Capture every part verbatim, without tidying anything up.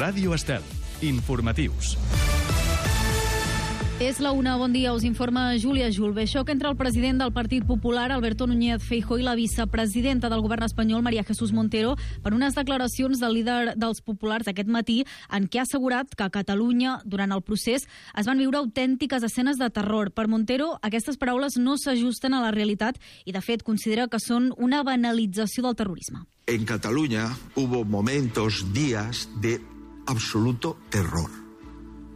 Ràdio Estel. Informatius. És la una, bon dia, us informa Júlia Julve. Xoc entre el president del Partit Popular, Alberto Núñez Feijóo, i la vicepresidenta del govern espanyol, María Jesús Montero, per unes declaracions del líder dels populars aquest matí en què ha assegurat que a Catalunya, durant el procés, es van viure autèntiques escenes de terror. Per Montero, aquestes paraules no s'ajusten a la realitat i, de fet, considera que són una banalització del terrorisme. En Cataluña hubo momentos, días de absoluto terror.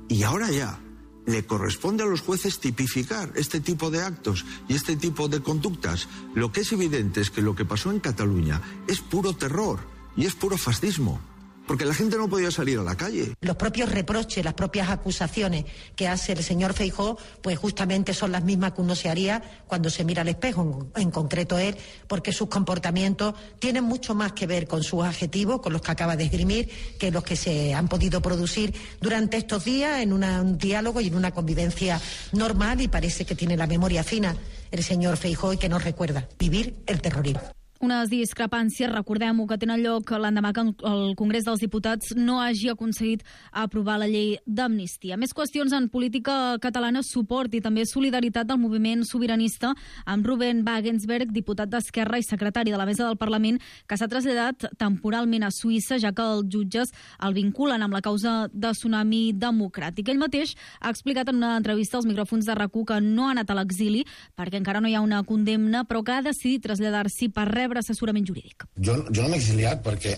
Y ahora ya le corresponde a los jueces tipificar este tipo de actos y este tipo de conductas. Lo que es evidente es que lo que pasó en Cataluña es puro terror y es puro fascismo, porque la gente no podía salir a la calle. Los propios reproches, las propias acusaciones que hace el señor Feijóo, pues justamente son las mismas que uno se haría cuando se mira al espejo, en concreto él, porque sus comportamientos tienen mucho más que ver con sus adjetivos, con los que acaba de esgrimir, que los que se han podido producir durante estos días en una, un diálogo y en una convivencia normal, y parece que tiene la memoria fina el señor Feijóo y que nos recuerda vivir el terrorismo. Unes discrepàncies, recordem-ho, que tenen lloc l'endemà que el Congrés dels Diputats no hagi aconseguit aprovar la llei d'amnistia. Més qüestions en política catalana, suport i també solidaritat del moviment sobiranista amb Ruben Wagensberg, diputat d'Esquerra i secretari de la Mesa del Parlament, que s'ha traslladat temporalment a Suïssa, ja que els jutges el vinculen amb la causa de Tsunami Democràtic. Ell mateix ha explicat en una entrevista als micròfons de RAC u que no ha anat a l'exili perquè encara no hi ha una condemna, però que ha decidit traslladar-s'hi per rebre assessorament jurídic. Jo, jo no m'he exiliat perquè,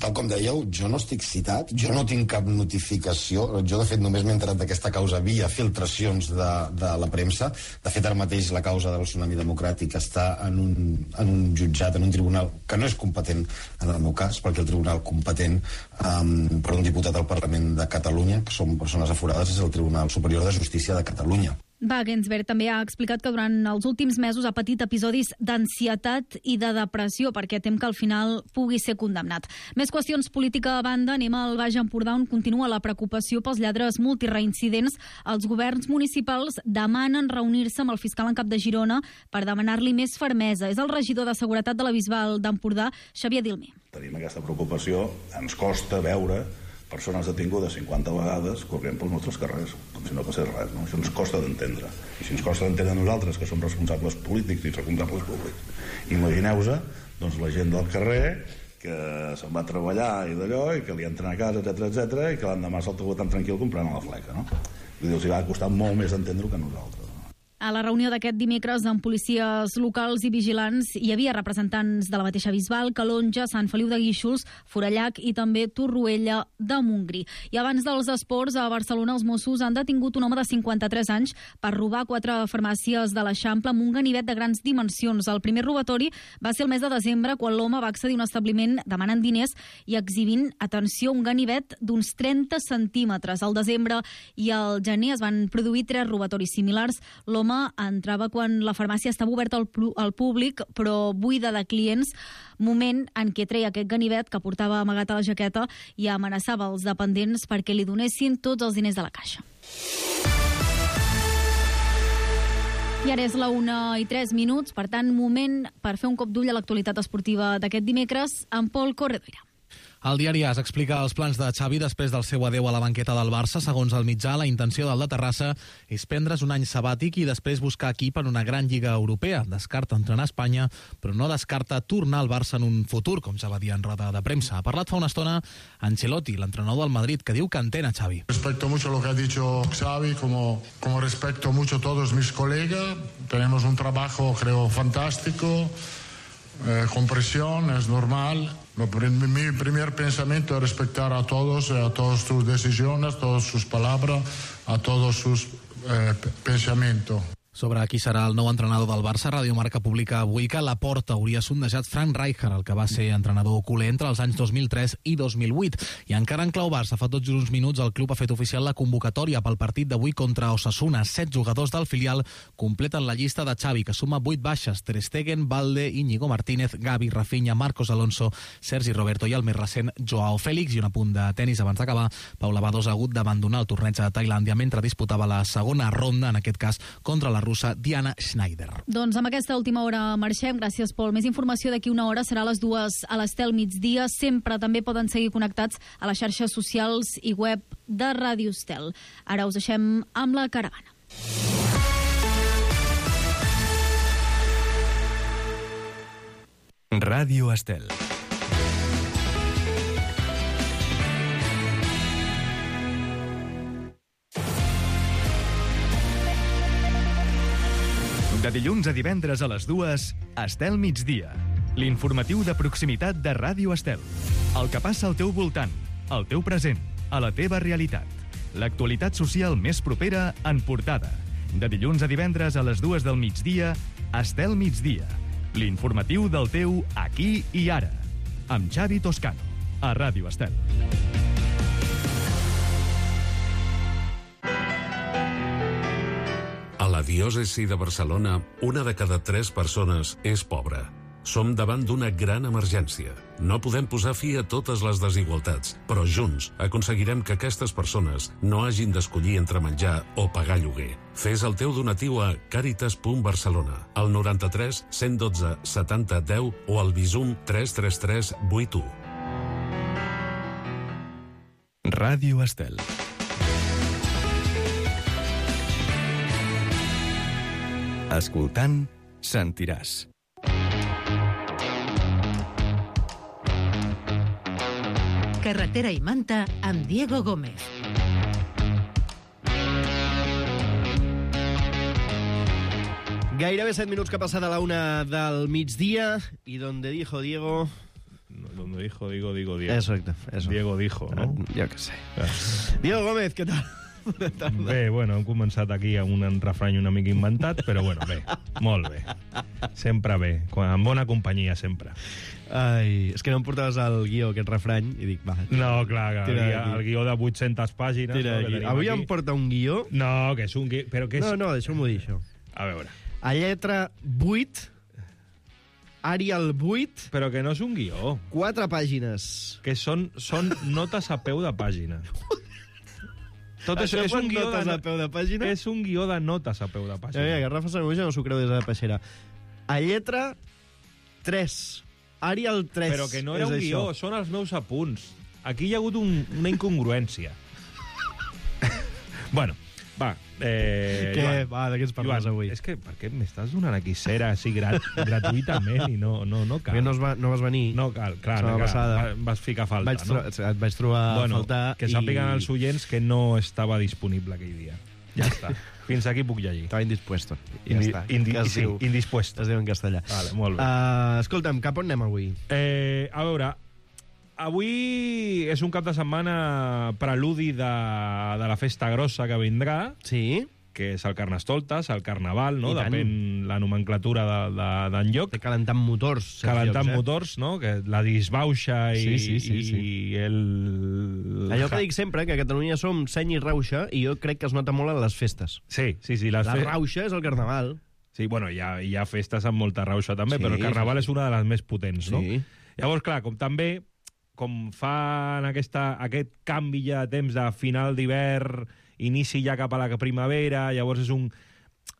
tal com dèieu, jo no estic citat, jo no tinc cap notificació, jo de fet només m'he enterat d'aquesta causa via filtracions de, de la premsa. De fet, ara mateix la causa del Tsunami Democràtic està en un, en un jutjat, en un tribunal que no és competent en el meu cas, perquè el tribunal competent um, per un diputat al Parlament de Catalunya, que són persones aforades, és el Tribunal Superior de Justícia de Catalunya. Wagensberg també ha explicat que durant els últims mesos ha patit episodis d'ansietat i de depressió perquè tem que al final pugui ser condemnat. Més qüestions política a banda, anem al Baix Empordà, on continua la preocupació pels lladres multireincidents. Els governs municipals demanen reunir-se amb el fiscal en cap de Girona per demanar-li més fermesa. És el regidor de Seguretat de la Bisbal d'Empordà, Xavier Dilmé. Tenim aquesta preocupació, ens costa veure persones detingudes cinquanta vegades corrent pels nostres carrers, com si no passés res, no? Això ens costa d'entendre. I si ens costa d'entendre nosaltres, que som responsables polítics i responsables públics, imagineu-vos doncs, la gent del carrer que se'n va a treballar i d'allò, i que li entren a casa, etcètera, etcètera, i que l'endemà se'l troba tan tranquil comprant a la fleca, no? Vull dir, els hi va costar molt més entendre-ho que a nosaltres. A la reunió d'aquest dimecres amb policies locals i vigilants hi havia representants de la mateixa Bisbal, Calonja, Sant Feliu de Guíxols, Forallac i també Torroella de Montgrí. I abans dels esports, a Barcelona els Mossos han detingut un home de cinquanta-tres anys per robar quatre farmàcies de l'Eixample amb un ganivet de grans dimensions. El primer robatori va ser el mes de desembre, quan l'home va accedir a un establiment demanant diners i exhibint, atenció, un ganivet d'uns trenta centímetres. Al desembre i al gener es van produir tres robatoris similars. L'home entrava quan la farmàcia estava oberta al, al públic, però buida de clients, moment en què treia aquest ganivet que portava amagat a la jaqueta i amenaçava els dependents perquè li donessin tots els diners de la caixa. I ara és la una i tres minuts, per tant, moment per fer un cop d'ull a l'actualitat esportiva d'aquest dimecres amb Pol Corredoira. El diari AS explica els plans de Xavi després del seu adeu a la banqueta del Barça. Segons el mitjà, la intenció del de Terrassa és prendre's un any sabàtic i després buscar equip en una gran lliga europea. Descarta entrenar a Espanya, però no descarta tornar al Barça en un futur, com ja va dir en roda de premsa. Ha parlat fa una estona Ancelotti, l'entrenador del Madrid, que diu que entén a Xavi. Respecto mucho lo que ha dicho Xavi, como, como respecto mucho todos mis colegas. Tenemos un trabajo, creo, fantástico. Eh, con presión, es normal. Mi primer pensamiento es respetar a todos, a todas sus decisiones, a todas sus palabras, a todos sus eh, pensamientos. Sobre qui serà el nou entrenador del Barça, Radio Marca publica avui que Laporta hauria sondejat Frank Rijkaard, el que va ser entrenador culer entre els anys dos mil tres i dos mil vuit. I encara en clau Barça, fa tot just uns minuts el club ha fet oficial la convocatòria pel partit d'avui contra Osasuna. Set jugadors del filial completen la llista de Xavi, que suma vuit baixes: Ter Stegen, Valde, Íñigo Martínez, Gavi, Rafinha, Marcos Alonso, Sergi Roberto i el més recent Joao Félix. I un apunt de tenis abans d'acabar: Paula Badosa ha hagut d'abandonar el torneig de Tailàndia mentre disputava la segona ronda, en aquest cas contra la russa Diana Schneider. Doncs amb aquesta última hora marxem. Gràcies, Pol. Més informació d'aquí una hora serà a les dues a l'Estel migdia. Sempre també poden seguir connectats a les xarxes socials i web de Ràdio Estel. Ara us deixem amb la caravana. Ràdio Estel. De dilluns a divendres a les dues, Estel migdia. L'informatiu de proximitat de Ràdio Estel. El que passa al teu voltant, al teu present, a la teva realitat. L'actualitat social més propera en portada. De dilluns a divendres a les dues del migdia, Estel migdia. L'informatiu del teu aquí i ara. Amb Xavi Toscano, a Ràdio Estel. A la diòcesi de Barcelona, una de cada tres persones és pobra. Som davant d'una gran emergència. No podem posar fi a totes les desigualtats, però junts aconseguirem que aquestes persones no hagin d'escollir entre menjar o pagar lloguer. Fes el teu donatiu a caritas punt barcelona, al noranta-tres cent dotze setanta deu o al Bizum tres tres tres vuit u. Ràdio Estel. Escoltant, sentiràs. Carretera i Manta amb Diego Gómez. Gairebé set minuts que ha passat a la una del migdia i donde dijo Diego... Donde dijo, digo, digo, Diego. Exacte. Eso. Diego dijo, no? Jo què sé. Diego Gómez, què tal? Bé, bueno, hem començat aquí amb un refrany una mica inventat, però bueno, bé, molt bé. Sempre bé, amb bona companyia, sempre. Ai, és que no em portaves el guió, aquest refrany, i dic, va... No, clar, el, guió, el guió de vuit-centes pàgines... Tira no, Avui aquí. Em porta un guió... No, que és un guió... Però que és... No, no, deixeu-m'ho dir, això. A veure... A lletra vuit... Arial vuit... Però que no és un guió. Quatre pàgines. Que són, són notes a peu de pàgina. Tot això, això és un guió notes de, a peu de pàgina? És un guió de notes a peu de pàgina. Ja, ja, que Rafa Sanamuja no s'ho creu des de la peixera. A lletra tres. Arial tres. Però que no era un guió, això. Són els meus apunts. Aquí hi ha hagut un, una incongruència. Bueno, va. Eh, Què? Joan, Va, de què ens parles Joan, avui? És que per què m'estàs donant aquí cera així grat, gratuïtament i no, no, no cal? Perquè no, va, no vas venir. No cal, clar, no cal. Va, vas ficar falta, vaig no? Et vaig trobar bueno, a faltar. Que sàpiguen i... els oients que no estava disponible aquell dia. Ja està. Fins aquí puc llegir. Estava indispuesto. Ja Indi, està. Indi, es sí, diu, indispuesto. es diu en castellà. Vale, molt bé. Uh, escolta'm, cap on anem avui? Eh, a veure, avui és un cap de setmana preludi de, de la festa grossa que vindrà. Sí. Que és el Carnestoltes, el Carnaval, no? Depèn la nomenclatura d'enlloc. De, de, calentant motors. Calentant llocs, eh? motors, no? Que la disbauxa i, sí, sí, sí, sí. i el... Allò que dic sempre, que a Catalunya som seny i rauxa, i jo crec que es nota molt en les festes. Sí, sí, sí. Les la fe... rauxa és el Carnaval. Sí, bueno, hi ha, hi ha festes amb molta rauxa també, sí, però el Carnaval sí. és una de les més potents, no? Sí. Llavors, clar, com també, com fan aquesta, aquest canvi ja de temps de final d'hivern, inici ja cap a la primavera, llavors és un,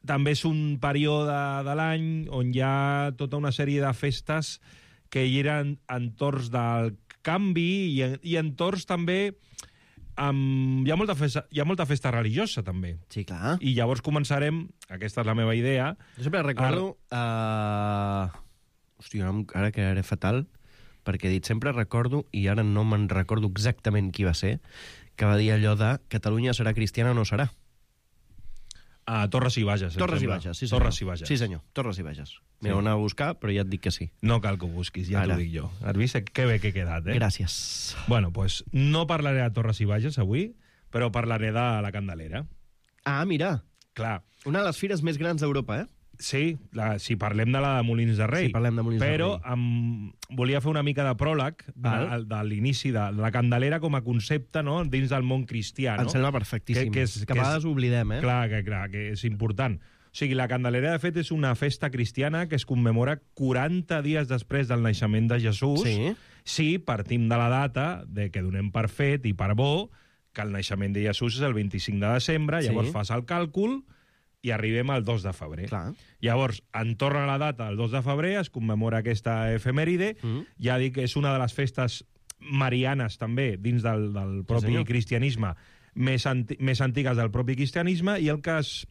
també és un període de l'any on hi ha tota una sèrie de festes que hi eren entorns del canvi i, i entorns també amb, hi, ha molta festa, hi ha molta festa religiosa també. Sí, clar. I llavors començarem, aquesta és la meva idea... Jo sempre recordo... A... Uh... Hòstia, ara que era fatal, perquè he dit sempre recordo, i ara no me'n recordo exactament qui va ser, que va dir allò de Catalunya serà cristiana o no serà. Ah, Torres i Bages. Torres i Bages, sí senyor. Torres i Bages. Sí senyor, Torres i Bages. M'he Sí. d'anar a buscar, però ja et dic que sí. No cal que ho busquis, ja t'ho dic jo. Has vist que bé que he quedat, eh? Gràcies. Bueno, pues no parlaré de Torres i Bages avui, però parlaré de la Candelera. Ah, mira. Clar. Una de les fires més grans d'Europa, eh? Sí, la, si parlem de la de Molins de Rei. Sí, parlem de Molins però de Rei. Amb, volia fer una mica de pròleg de, de l'inici de la Candelera com a concepte, no?, dins del món cristià. No? Em sembla perfectíssim. Que, que, és, que a vegades és, oblidem, eh? Clar, que, clar, que és important. O sigui, la Candelera, de fet, és una festa cristiana que es commemora quaranta dies després del naixement de Jesús. Sí. Sí, partim de la data de que donem per fet i per bo que el naixement de Jesús és el vint-i-cinc de desembre, llavors sí. fas el càlcul i arribem al dos de febrer. Clar. Llavors, en torna la data, el dos de febrer, es commemora aquesta efemèride. Mm. Ja dic que és una de les festes marianes, també, dins del, del propi sí, cristianisme, més, anti més antigues del propi cristianisme, i el que es...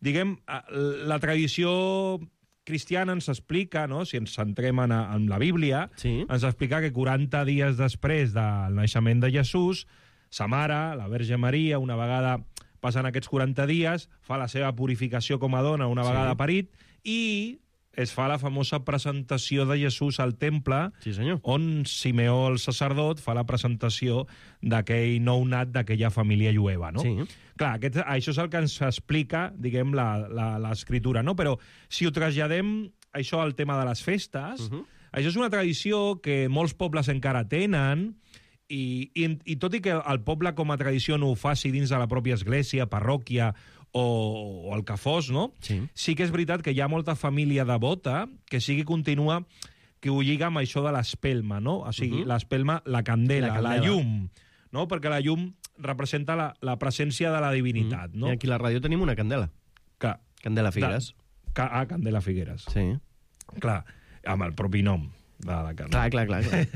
Diguem, la tradició cristiana ens explica, no? Si ens centrem en, en la Bíblia, sí. ens explica que quaranta dies després del naixement de Jesús, sa mare, la Verge Maria, una vegada passen aquests quaranta dies, fa la seva purificació com a dona una vegada sí. parit, i es fa la famosa presentació de Jesús al temple, sí, senyor. On Simeó, el sacerdot, fa la presentació d'aquell nounat d'aquella família jueva, no? Sí. Clar, aquest, això és el que ens explica, diguem, l'escriptura, no? Però si ho traslladem, això al tema de les festes, uh -huh. això és una tradició que molts pobles encara tenen, i, i, i tot i que el poble com a tradició no ho faci dins de la pròpia església, parròquia o, o el que fos, no? Sí. Sí que és veritat que hi ha molta família devota que sí que continua, que ho lliga amb això de l'espelma, no? O sigui, uh -huh. l'espelma, la candela, la, candela. la llum, no? Perquè la llum representa la, la presència de la divinitat, uh -huh. no? I aquí a la ràdio tenim una candela. Que, Candela Figueres. De, ca, ah, Candela Figueres. Sí. Clar, amb el propi nom de la candela. Clar, clar, clar. clar.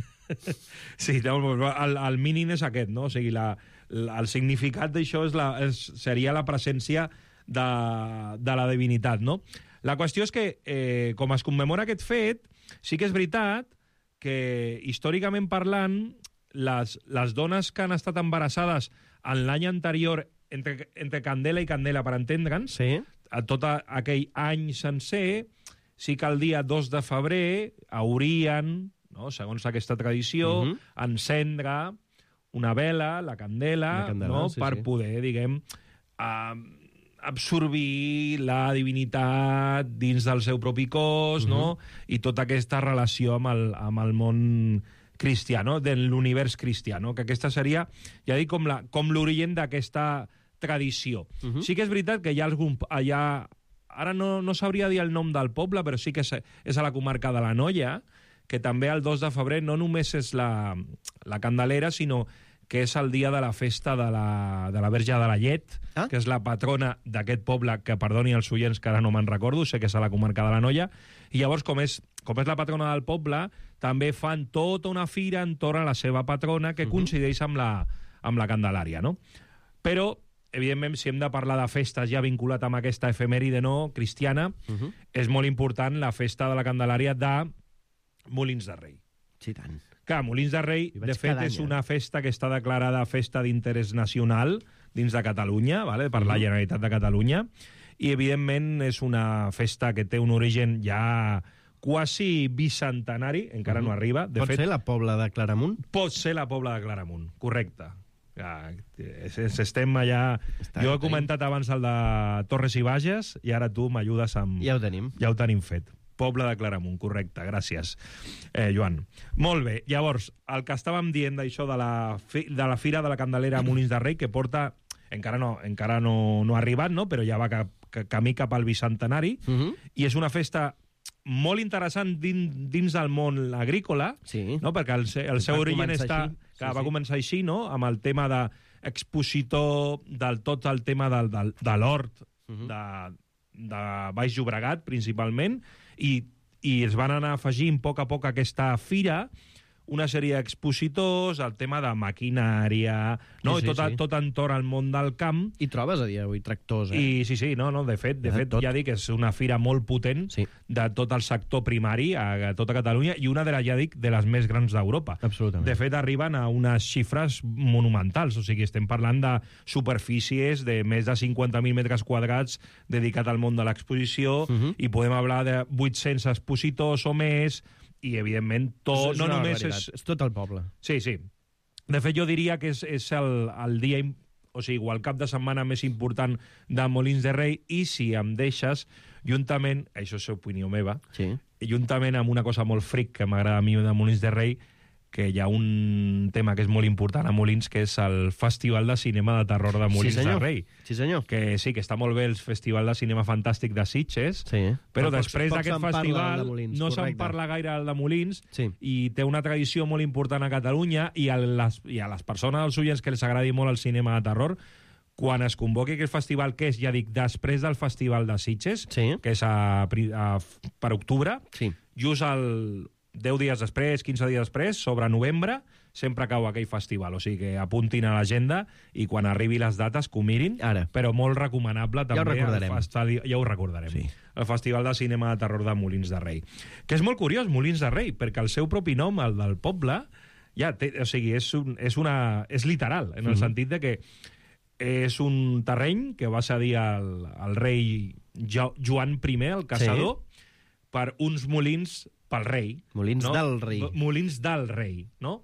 Sí, el, el mínim és aquest, no? O sigui, la, la, el significat d'això és la, és, seria la presència de, de la divinitat, no? La qüestió és que, eh, com es commemora aquest fet, sí que és veritat que, històricament parlant, les, les dones que han estat embarassades en l'any anterior, entre, entre Candela i Candela, per entendre'ns, sí. a tot aquell any sencer, sí que el dia dos de febrer haurien... No? Segons aquesta tradició, uh -huh. encendre una vela, la candela, candela no? sí, per sí. poder, diguem, uh, absorbir la divinitat dins del seu propi cos, uh -huh. no? I tota aquesta relació amb el, amb el món cristià, no? De l'univers cristià, no? Que aquesta seria, ja dic, com la, com l'origen d'aquesta tradició. Uh -huh. Sí que és veritat que hi ha algun... Hi ha, ara no, no sabria dir el nom del poble, però sí que és, és a la comarca de l'Anoia, que també el dos de febrer no només és la, la Candelera, sinó que és el dia de la festa de la, de la Verge de la Llet, ah? que és la patrona d'aquest poble, que perdoni els oients que ara no me'n recordo, sé que és a la comarca de l'Anoia, i llavors, com és, com és la patrona del poble, també fan tota una fira entorn a la seva patrona, que uh -huh. coincideix amb la, amb la Candelària, no? Però, evidentment, si hem de parlar de festes ja vinculat amb aquesta efemèride no cristiana, uh -huh. és molt important la festa de la Candelària de Molins de Rei. Sí, tant. Clar, Molins de Rei, de fet, és una festa que està declarada festa d'interès nacional dins de Catalunya, vale? per uh -huh. la Generalitat de Catalunya, i, evidentment, és una festa que té un origen ja quasi bicentenari, encara uh -huh. no arriba. De pot fet, ser la Pobla de Claramunt? Pot ser la Pobla de Claramunt, correcte. Ja, estem allà... Està jo he comentat abans el de Torres i Bages, i ara tu m'ajudes amb... Ja ho tenim. Ja ho tenim fet. Poble de Claramunt, correcte, gràcies, eh, Joan. Molt bé, llavors, el que estàvem dient d'això de, la fi, de la Fira de la Candelera a Molins de Rei, que porta, encara no, encara no, no ha arribat, no? Però ja va cap, camí cap al bicentenari, uh -huh. i és una festa molt interessant dins, dins del món agrícola, sí. no? Perquè el, el seu origen està, que sí, va sí. començar així, no? Amb el tema d'expositor del tot el tema del, del, de l'hort, uh -huh. de, de Baix Llobregat, principalment, i, i es van anar afegint a poc a poc a aquesta fira una sèrie d'expositors, el tema de maquinària, no? Sí, sí, I tot, sí. tot entorn al món del camp. I trobes a dia d'avui tractors, eh? I sí, sí, no, no, de fet, de fet ja dic que és una fira molt potent sí. de tot el sector primari a, a tota Catalunya, i una de les, ja dic, de les més grans d'Europa. Absolutament. De fet, arriben a unes xifres monumentals, o sigui, estem parlant de superfícies de més de cinquanta mil metres quadrats dedicat al món de l'exposició, uh -huh. i podem parlar de vuit-cents expositors o més, i, evidentment, tot... És no només és... és tot el poble. Sí, sí. De fet, jo diria que és, és el, el dia... O sigui, igual el cap de setmana més important de Molins de Rei, i, si em deixes, juntament... Això és opinió meva. Sí. Juntament amb una cosa molt fric que m'agrada a mi de Molins de Rei, que hi ha un tema que és molt important a Molins, que és el Festival de Cinema de Terror de Molins sí, de Rei. Sí, senyor. Que sí, que està molt bé el Festival de Cinema Fantàstic de Sitges, sí. però, però poc, després poc d'aquest festival Molins, no se'n parla gaire del de Molins, sí. i té una tradició molt important a Catalunya, i a les, i a les persones, als oients que els agradi molt el cinema de terror, quan es convoqui aquest festival, que és, ja dic, després del Festival de Sitges, sí. que és a, a, per octubre, sí. just el deu dies després, quinze dies després, sobre novembre, sempre cau aquell festival. O sigui que apuntin a l'agenda i quan arribi les dates que ho mirin, Ara. però molt recomanable també. Ja ho recordarem. El festi... Ja ho recordarem. Sí. El Festival de Cinema de Terror de Molins de Rei. Que és molt curiós, Molins de Rei, perquè el seu propi nom, el del poble, ja té, o sigui, és, un, és, una, és literal, en el mm-hmm. sentit de que és un terreny que va cedir al, al rei jo, Joan I, el caçador, sí. per uns molins pel rei. Molins no? del rei. Molins del rei, no?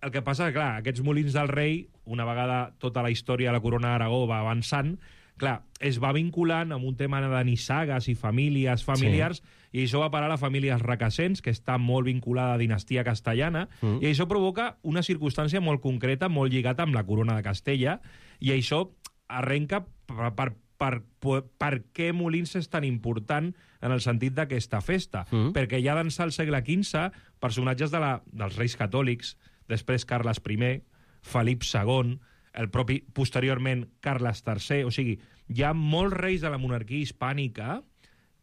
El que passa és que, clar, aquests molins del rei, una vegada tota la història de la corona d'Aragó va avançant, clar, es va vinculant amb un tema de nissagues i famílies familiars, sí. i això va parar a la família Requesens, que està molt vinculada a la dinastia castellana, mm. i això provoca una circumstància molt concreta, molt lligada amb la corona de Castella, i això arrenca per, per, per, per, per què Molins és tan important en el sentit d'aquesta festa. Mm. Perquè ja d'ençà al segle quinze, personatges de la, dels reis catòlics, després Carles I, Felip segon, el propi, posteriorment, Carles tercer, o sigui, hi ha molts reis de la monarquia hispànica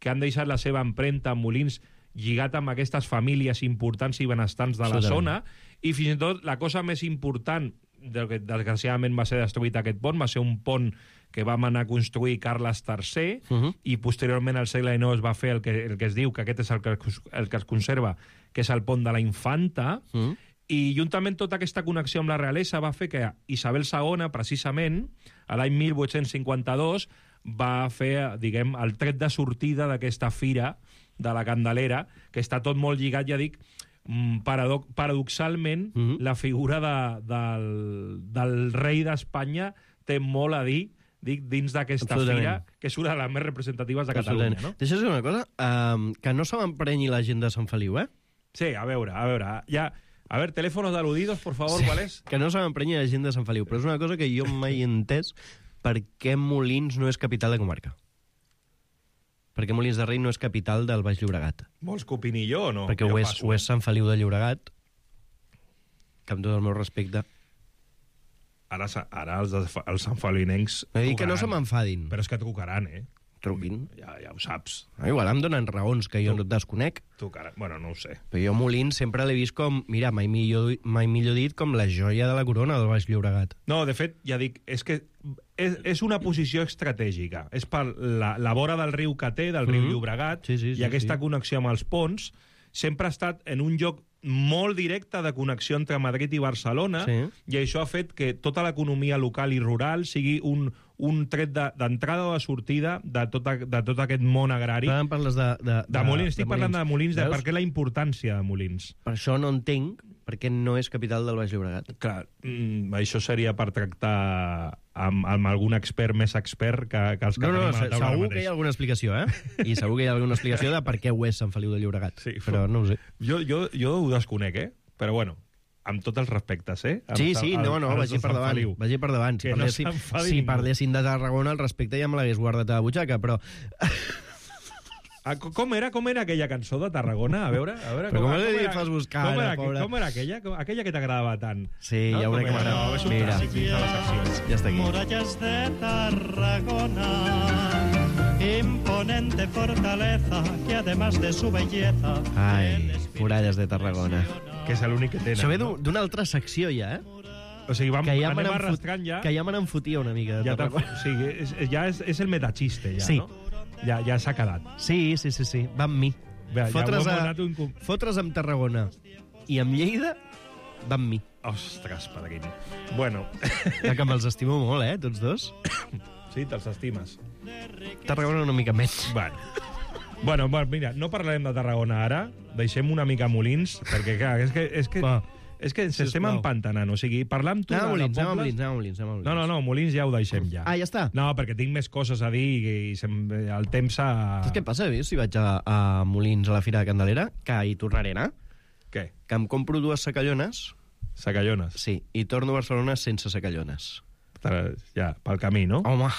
que han deixat la seva empremta en Molins lligat amb aquestes famílies importants i benestants de la zona, i fins i tot la cosa més important, del que desgraciadament va ser destruït aquest pont, va ser un pont que vam anar a construir Carles tercer, uh -huh. i posteriorment al segle dinou es va fer el que, el que es diu, que aquest és el que, el que es conserva, que és el pont de la Infanta, uh -huh. i juntament tota aquesta connexió amb la realesa va fer que Isabel segona, precisament, a l'any mil vuit-cents cinquanta-dos, va fer, diguem, el tret de sortida d'aquesta fira de la Candelera, que està tot molt lligat, ja dic, paradox paradoxalment, mm-hmm. la figura de, del, del rei d'Espanya té molt a dir, dic, dins d'aquesta fira, que és una de les més representatives de Catalunya, no? Deixa'ns dir una cosa, um, que no se m'emprenyi la gent de Sant Feliu, eh? Sí, a veure, a veure, ja... A ver, teléfonos aludidos, por favor, sí, ¿cuál es? Que no se m'emprenyi la gent de Sant Feliu, però és una cosa que jo mai he entès per què Molins no és capital de comarca. Per què Molins de Rei no és capital del Baix Llobregat? Vols que opini jo o no? Perquè ho és, ho és Sant Feliu de Llobregat, que amb tot el meu respecte... Ara, ara els, els sanfelinencs... No dic que no se m'enfadin. Però és que trucaran, eh? Truquin. Ja, ja ho saps. No, igual em donen raons que jo tu, no et desconec. Tu, cara, bueno, no ho sé. Però jo Molins sempre l'he vist com, mira, mai millor, mai millor dit, com la joia de la corona del Baix Llobregat. No, de fet, ja dic, és que és, és una posició estratègica. És per la, la vora del riu que té, del riu mm-hmm. Llobregat, sí, sí, sí, i aquesta sí. connexió amb els ponts, sempre ha estat en un lloc molt directe de connexió entre Madrid i Barcelona, sí. i això ha fet que tota l'economia local i rural sigui un, un tret d'entrada de, o de sortida de tot, a, de tot aquest món agrari. Però parles de, de, de, de Molins, estic de parlant Molins. de Molins, de per què la importància de Molins. Per això no entenc per què no és capital del Baix Llobregat. Clar, mm, això seria per tractar amb, amb algun expert més expert que, que els que no, no, tenim a la taula segur mateix. Que hi ha alguna explicació, eh? I segur que hi ha alguna explicació de per què ho és Sant Feliu de Llobregat. Sí, però no ho sé. Jo, jo, jo ho desconec, eh? Però bueno, amb tots els respectes, eh? Amb sí, sí, no, no, vagi per davant. Vagi per davant. Si, no parlessin, si parlessin de Tarragona, el respecte ja me l'hagués guardat a la butxaca, però... Ah, com era com era aquella cançó de Tarragona? A veure, a veure però com, com com, era, fas buscar, com, era, pobra. com era aquella? Com, aquella que t'agradava tant. Sí, no? Hi ha una que m'agrada. No, és un Mira. clàssic de la secció. Ja està aquí. Murallas de Tarragona, imponente fortaleza que además de su belleza... Ai, muralles de Tarragona. Que és l'únic que tenen. Això ve no? d'una altra secció ja, eh? O sigui, vam, que ja anem arrastrant ja... Que ja me n'enfotia una mica de ja Tarragona. O sigui, és, ja és, és el metachiste, ja, sí. no? Ja, ja s'ha quedat. Sí, sí, sí, sí. Va amb mi. Bé, fotre's, ja a, un... fotre's amb Tarragona i amb Lleida va amb mi. Ostres, padaquín. Bueno. Ja que me'ls estimo molt, eh, tots dos. Sí, te'ls estimes. Tarragona una mica més. Bueno. Bueno, bueno, mira, no parlarem de Tarragona ara, deixem una mica Molins, perquè, clar, és que... És que... Va. És que ens sí, estem empantanant, o sigui, parlar amb tu anem de Molins, pobles... Anem a Molins, anem a Molins, anem a Molins. No, no, no, Molins ja ho deixem ja. Ah, ja està? No, perquè tinc més coses a dir i, i sem... el temps s'ha... Saps què passa? Si vaig a, a Molins a la Fira de Candelera, que hi tornaré a anar, què? Que em compro dues sacallones... Sacallones? Sí, i torno a Barcelona sense sacallones. Ja, pel camí, no? Home...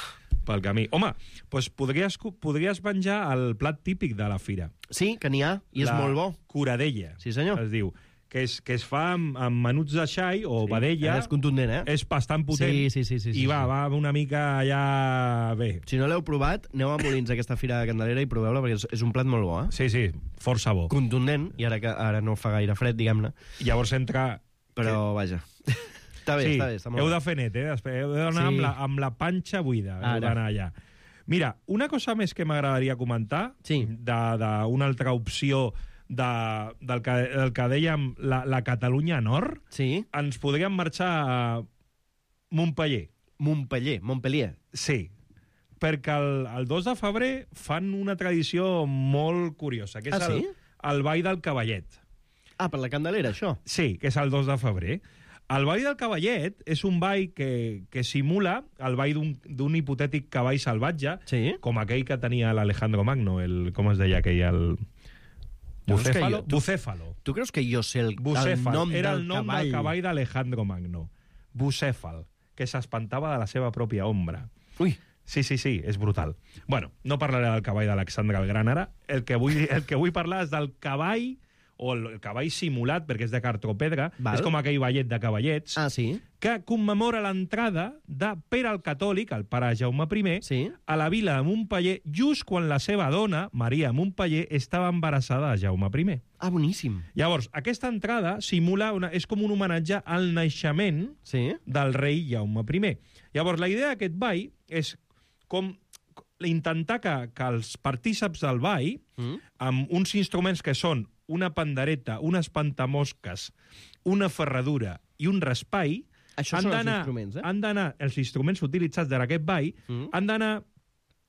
Pel camí. Home, doncs podries, podries menjar el plat típic de la fira. Sí, que n'hi ha, i és la molt bo. Curadella. Sí, senyor. Es diu... que es, que es fa amb, amb menuts de xai o sí, vedella. És contundent, eh? És bastant potent. Sí, sí, sí. sí, sí I va, sí. va una mica allà bé. Si no l'heu provat, aneu a Molins a aquesta fira de Candelera i proveu-la, perquè és, és un plat molt bo, eh? Sí, sí, força bo. Contundent, i ara que ara no fa gaire fred, diguem-ne. Llavors entra... Però, vaja... Està bé, sí, està bé. Està molt heu bé. de fer net, eh? Després heu d'anar Sí. amb, la, amb la panxa buida. Heu d'anar allà. Mira, una cosa més que m'agradaria comentar, sí. d'una altra opció de, del, que, del que dèiem la, la Catalunya Nord, sí. ens podríem marxar a Montpeller. Montpeller, Montpellier. Sí, perquè el, el dos de febrer fan una tradició molt curiosa, que és ah, sí? el, el Ball del Cavallet. Ah, per la Candelera, això? Sí, que és el dos de febrer. El Ball del Cavallet és un ball que, que simula el ball d'un hipotètic cavall salvatge, sí? com aquell que tenia l'Alejandro Magno, el, com es deia aquell, el... Bucéfalo? Jo, tu, Bucéfalo. Tu creus que jo sé el, Bucéfal. el nom Era del el nom cavall? del cavall d'Alejandro Magno. Bucéfal, que s'espantava de la seva pròpia ombra. Ui. Sí, sí, sí, és brutal. Bueno, no parlaré del cavall d'Alexandre el Gran ara. El que vull, el que vull parlar és del cavall, o el cavall simulat, perquè és de cartropedra, Val. és com aquell ballet de cavallets, ah, sí? que commemora l'entrada de Pere el Catòlic, el pare Jaume I, sí? a la vila de Montpeller, just quan la seva dona, Maria Montpeller, estava embarassada de Jaume I. Ah, boníssim. Llavors, aquesta entrada simula una, és com un homenatge al naixement sí? del rei Jaume I. Llavors, la idea d'aquest ball és com intentar que, que els partíceps del ball, mm. amb uns instruments que són una pandereta, unes pantamosques, una ferradura i un raspall, Això han són els d'anar, instruments, eh? han d'anar, els instruments utilitzats d'aquest ball, mm. han d'anar,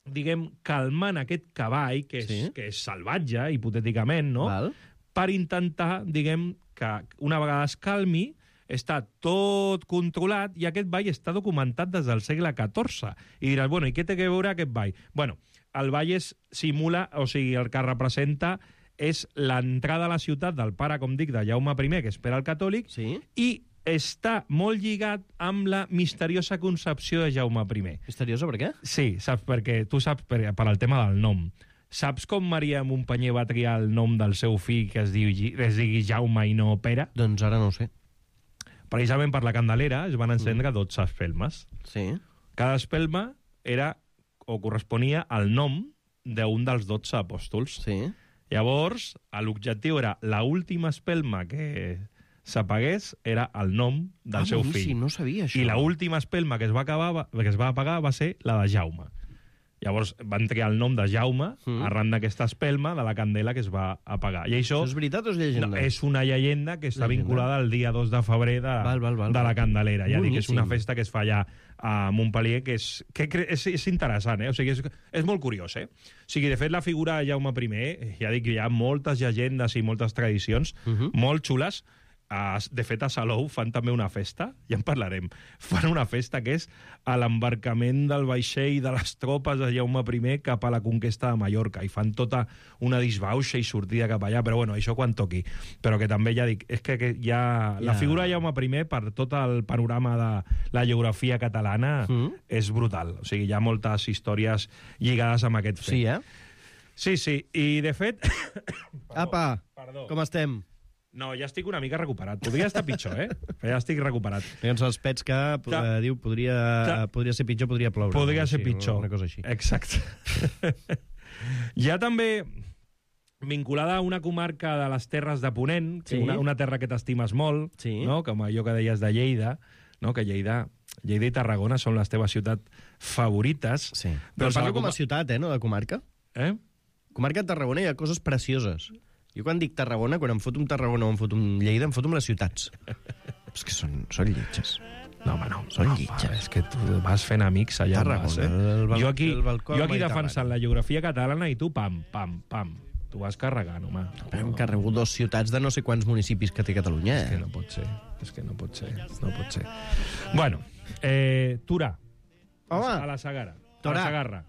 diguem, calmant aquest cavall, que és, sí? que és salvatge, hipotèticament, no? Val. Per intentar, diguem, que una vegada es calmi, està tot controlat i aquest ball està documentat des del segle catorze. I diràs, bueno, i què té a veure aquest ball? Bueno, el ball es simula, o sigui, el que representa és l'entrada a la ciutat del pare, com dic, de Jaume I, que és Pere el Catòlic, sí? i està molt lligat amb la misteriosa concepció de Jaume I. Misteriosa per què? Sí, saps, perquè tu saps per, per al tema del nom. Saps com Maria Montpeller va triar el nom del seu fill que es, diu, es digui Jaume i no Pere? Doncs ara no ho sé. Precisament per la Candelera es van encendre mm. dotze espelmes. Sí. Cada espelma era o corresponia al nom d'un dels dotze apòstols. Sí. Llavors, l'objectiu era l'última espelma que s'apagués era el nom del ah, seu boníssim, fill. No sabia això. I l'última espelma que es va acabar, que es va apagar va ser la de Jaume. Llavors van triar el nom de Jaume mm. arran d'aquesta espelma de la candela que es va apagar. I això, això és veritat o és llegenda? No, és una llegenda que està llegenda. vinculada al dia dos de febrer de, val, val, val, de la Candelera. Ja boníssim. dic, és una festa que es fa allà a Montpellier, que és, que és, és interessant, eh? O sigui, és, és molt curiós, eh? O sigui, de fet, la figura de Jaume I, ja dic que hi ha moltes llegendes i moltes tradicions uh -huh. molt xules. De fet, a Salou fan també una festa, ja en parlarem, fan una festa que és a l'embarcament del vaixell de les tropes de Jaume I cap a la conquesta de Mallorca, i fan tota una disbauxa i sortida cap allà, però bueno, això quan toqui. Però que també, ja dic, és que, que hi ha... La figura de Jaume I, per tot el panorama de la geografia catalana, mm. és brutal. O sigui, hi ha moltes històries lligades amb aquest fet. Sí, eh? Sí, sí, i de fet... Perdó, Apa, perdó. Com estem? No, ja estic una mica recuperat. Podria estar pitjor, eh? Però ja estic recuperat. Tens els pets que eh, diu podria, podria ser pitjor, podria ploure. Podria no? ser sí, pitjor. Una cosa així. Exacte. Hi ha també, vinculada a una comarca de les Terres de Ponent, sí. una, una terra que t'estimes molt, sí. no? Com allò que deies de Lleida, no? Que Lleida, Lleida i Tarragona són les teves ciutats favorites. Sí. Però doncs parlo com a ciutat, eh, no de comarca. Eh? Comarca de Tarragona hi ha coses precioses. Jo quan dic Tarragona, quan em foto un Tarragona o em foto un Lleida, em foto amb les ciutats. És que són, són lletges. No, home, no. Són no, lletges. És que tu vas fent amics allà. Tarragona, vas, eh? el bal- jo aquí, el balcó jo aquí mediterrani. defensant la geografia catalana i tu, pam, pam, pam. Tu vas carregant, home. Però hem carregut dos ciutats de no sé quants municipis que té Catalunya. És que no pot ser. És que no pot ser. No pot ser. Bueno, eh, Torà. Home. A la Segarra. Torà. A la Segarra.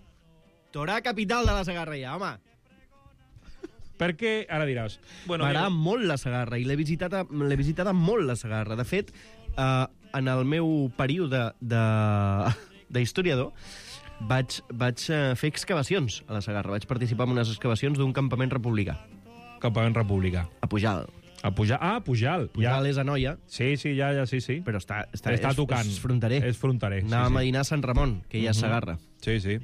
Torà, capital de la Segarra, ja, home. Perquè, ara diràs... Bueno, M'agrada jo... molt la Segarra i l'he visitada, l'he visitada molt, la Segarra. De fet, eh, en el meu període d'historiador vaig, vaig fer excavacions a la Segarra. Vaig participar en unes excavacions d'un campament republicà. Campament republicà. A Pujalt. A Pujal. Ah, Pujal. Pujal ja. és a Noia. Sí, sí, ja, ja, sí, sí. Però està, està, està és, tocant. És fronterer. És fronterer, sí, Anàvem sí. a dinar a Sant Ramon, que ja és uh-huh. Segarra. Sí, sí.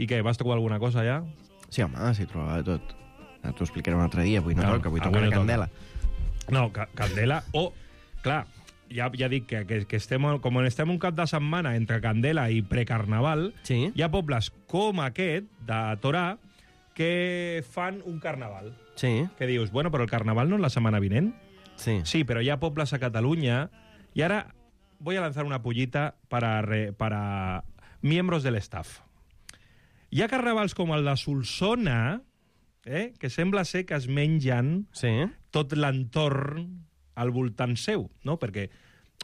I què, vas trobar alguna cosa ja? Sí, home, sí, trobava de tot. T'ho explicaré un altre dia, avui no ah, toca, avui ah, toca la Candela. No, ca Candela, o... Oh, clar, ja, ja dic que, que, que estem, com estem un cap de setmana entre Candela i precarnaval, sí. hi ha pobles com aquest, de Torà, que fan un carnaval. Sí. Que dius, bueno, però el carnaval no és la setmana vinent? Sí. Sí, però hi ha pobles a Catalunya, i ara voy a lanzar una pollita para, re, para miembros del staff. Hi ha carnavals com el de Solsona, eh, que sembla ser que es mengen sí. tot l'entorn al voltant seu, no? Perquè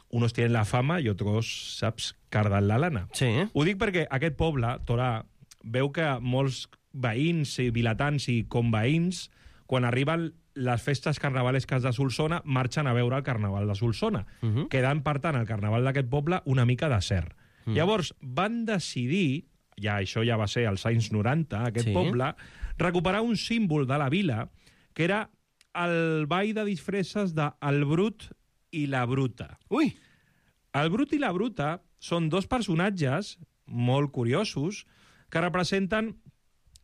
unos tienen la fama i otros, saps, carden la lana. Sí. Ho dic perquè aquest poble, Torà, veu que molts veïns i vilatans i conveïns, quan arriben les festes carnavalesques de Solsona, marxen a veure el carnaval de Solsona, uh -huh. quedant, per tant, el carnaval d'aquest poble una mica desert. Uh -huh. Llavors, van decidir, ja això ja va ser als anys noranta, aquest sí. poble, recuperar un símbol de la vila, que era el ball de disfresses de El Brut i la Bruta. Ui! El Brut i la Bruta són dos personatges molt curiosos que representen,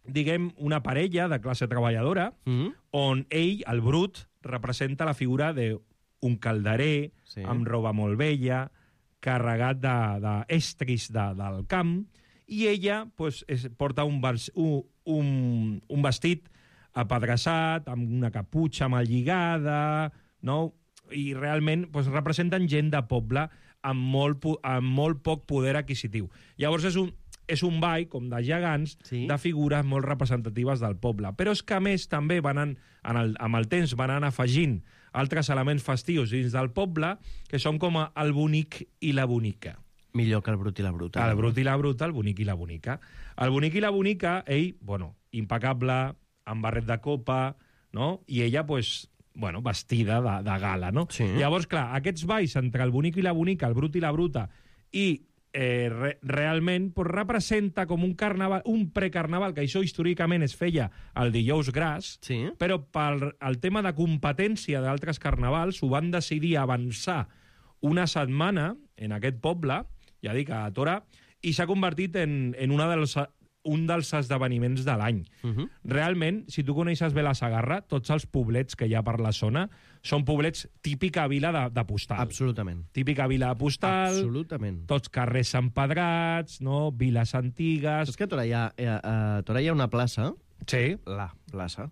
diguem, una parella de classe treballadora, mm-hmm. on ell, el Brut, representa la figura d'un calderer, sí. amb roba molt vella, carregat d'estris de, de, del camp, i ella pues, es, porta un, un, un, un vestit apedreçat, amb una caputxa mal lligada, no? I realment pues, representen gent de poble amb molt, amb molt poc poder adquisitiu. Llavors és un, és un ball, com de gegants, sí. de figures molt representatives del poble. Però és que, a més, també van en, en el, amb el temps van anar afegint altres elements festius dins del poble, que són com el bonic i la bonica. Millor que el Brut i la Bruta. El Brut i la Bruta, el bonic i la bonica. El bonic i la bonica, ell, bueno, impecable, amb barret de copa, no? I ella, pues, bueno, vestida de, de gala, no? Sí. Llavors, clar, aquests balls entre el bonic i la bonica, el Brut i la Bruta, i eh, re, realment pues, representa com un carnaval, un precarnaval, que això històricament es feia el dijous gras, sí. però per el tema de competència d'altres carnavals ho van decidir avançar una setmana en aquest poble, ja dic, a Torà, i s'ha convertit en, en una dels, un dels esdeveniments de l'any. Uh-huh. Realment, si tu coneixes bé la Segarra, tots els poblets que hi ha per la zona són poblets típica vila de, de postal. Absolutament. Típica vila de postal. Absolutament. Tots carrers empedrats, no? Viles antigues. És que a Torà hi ha, a Torà hi ha una plaça. Sí. La plaça.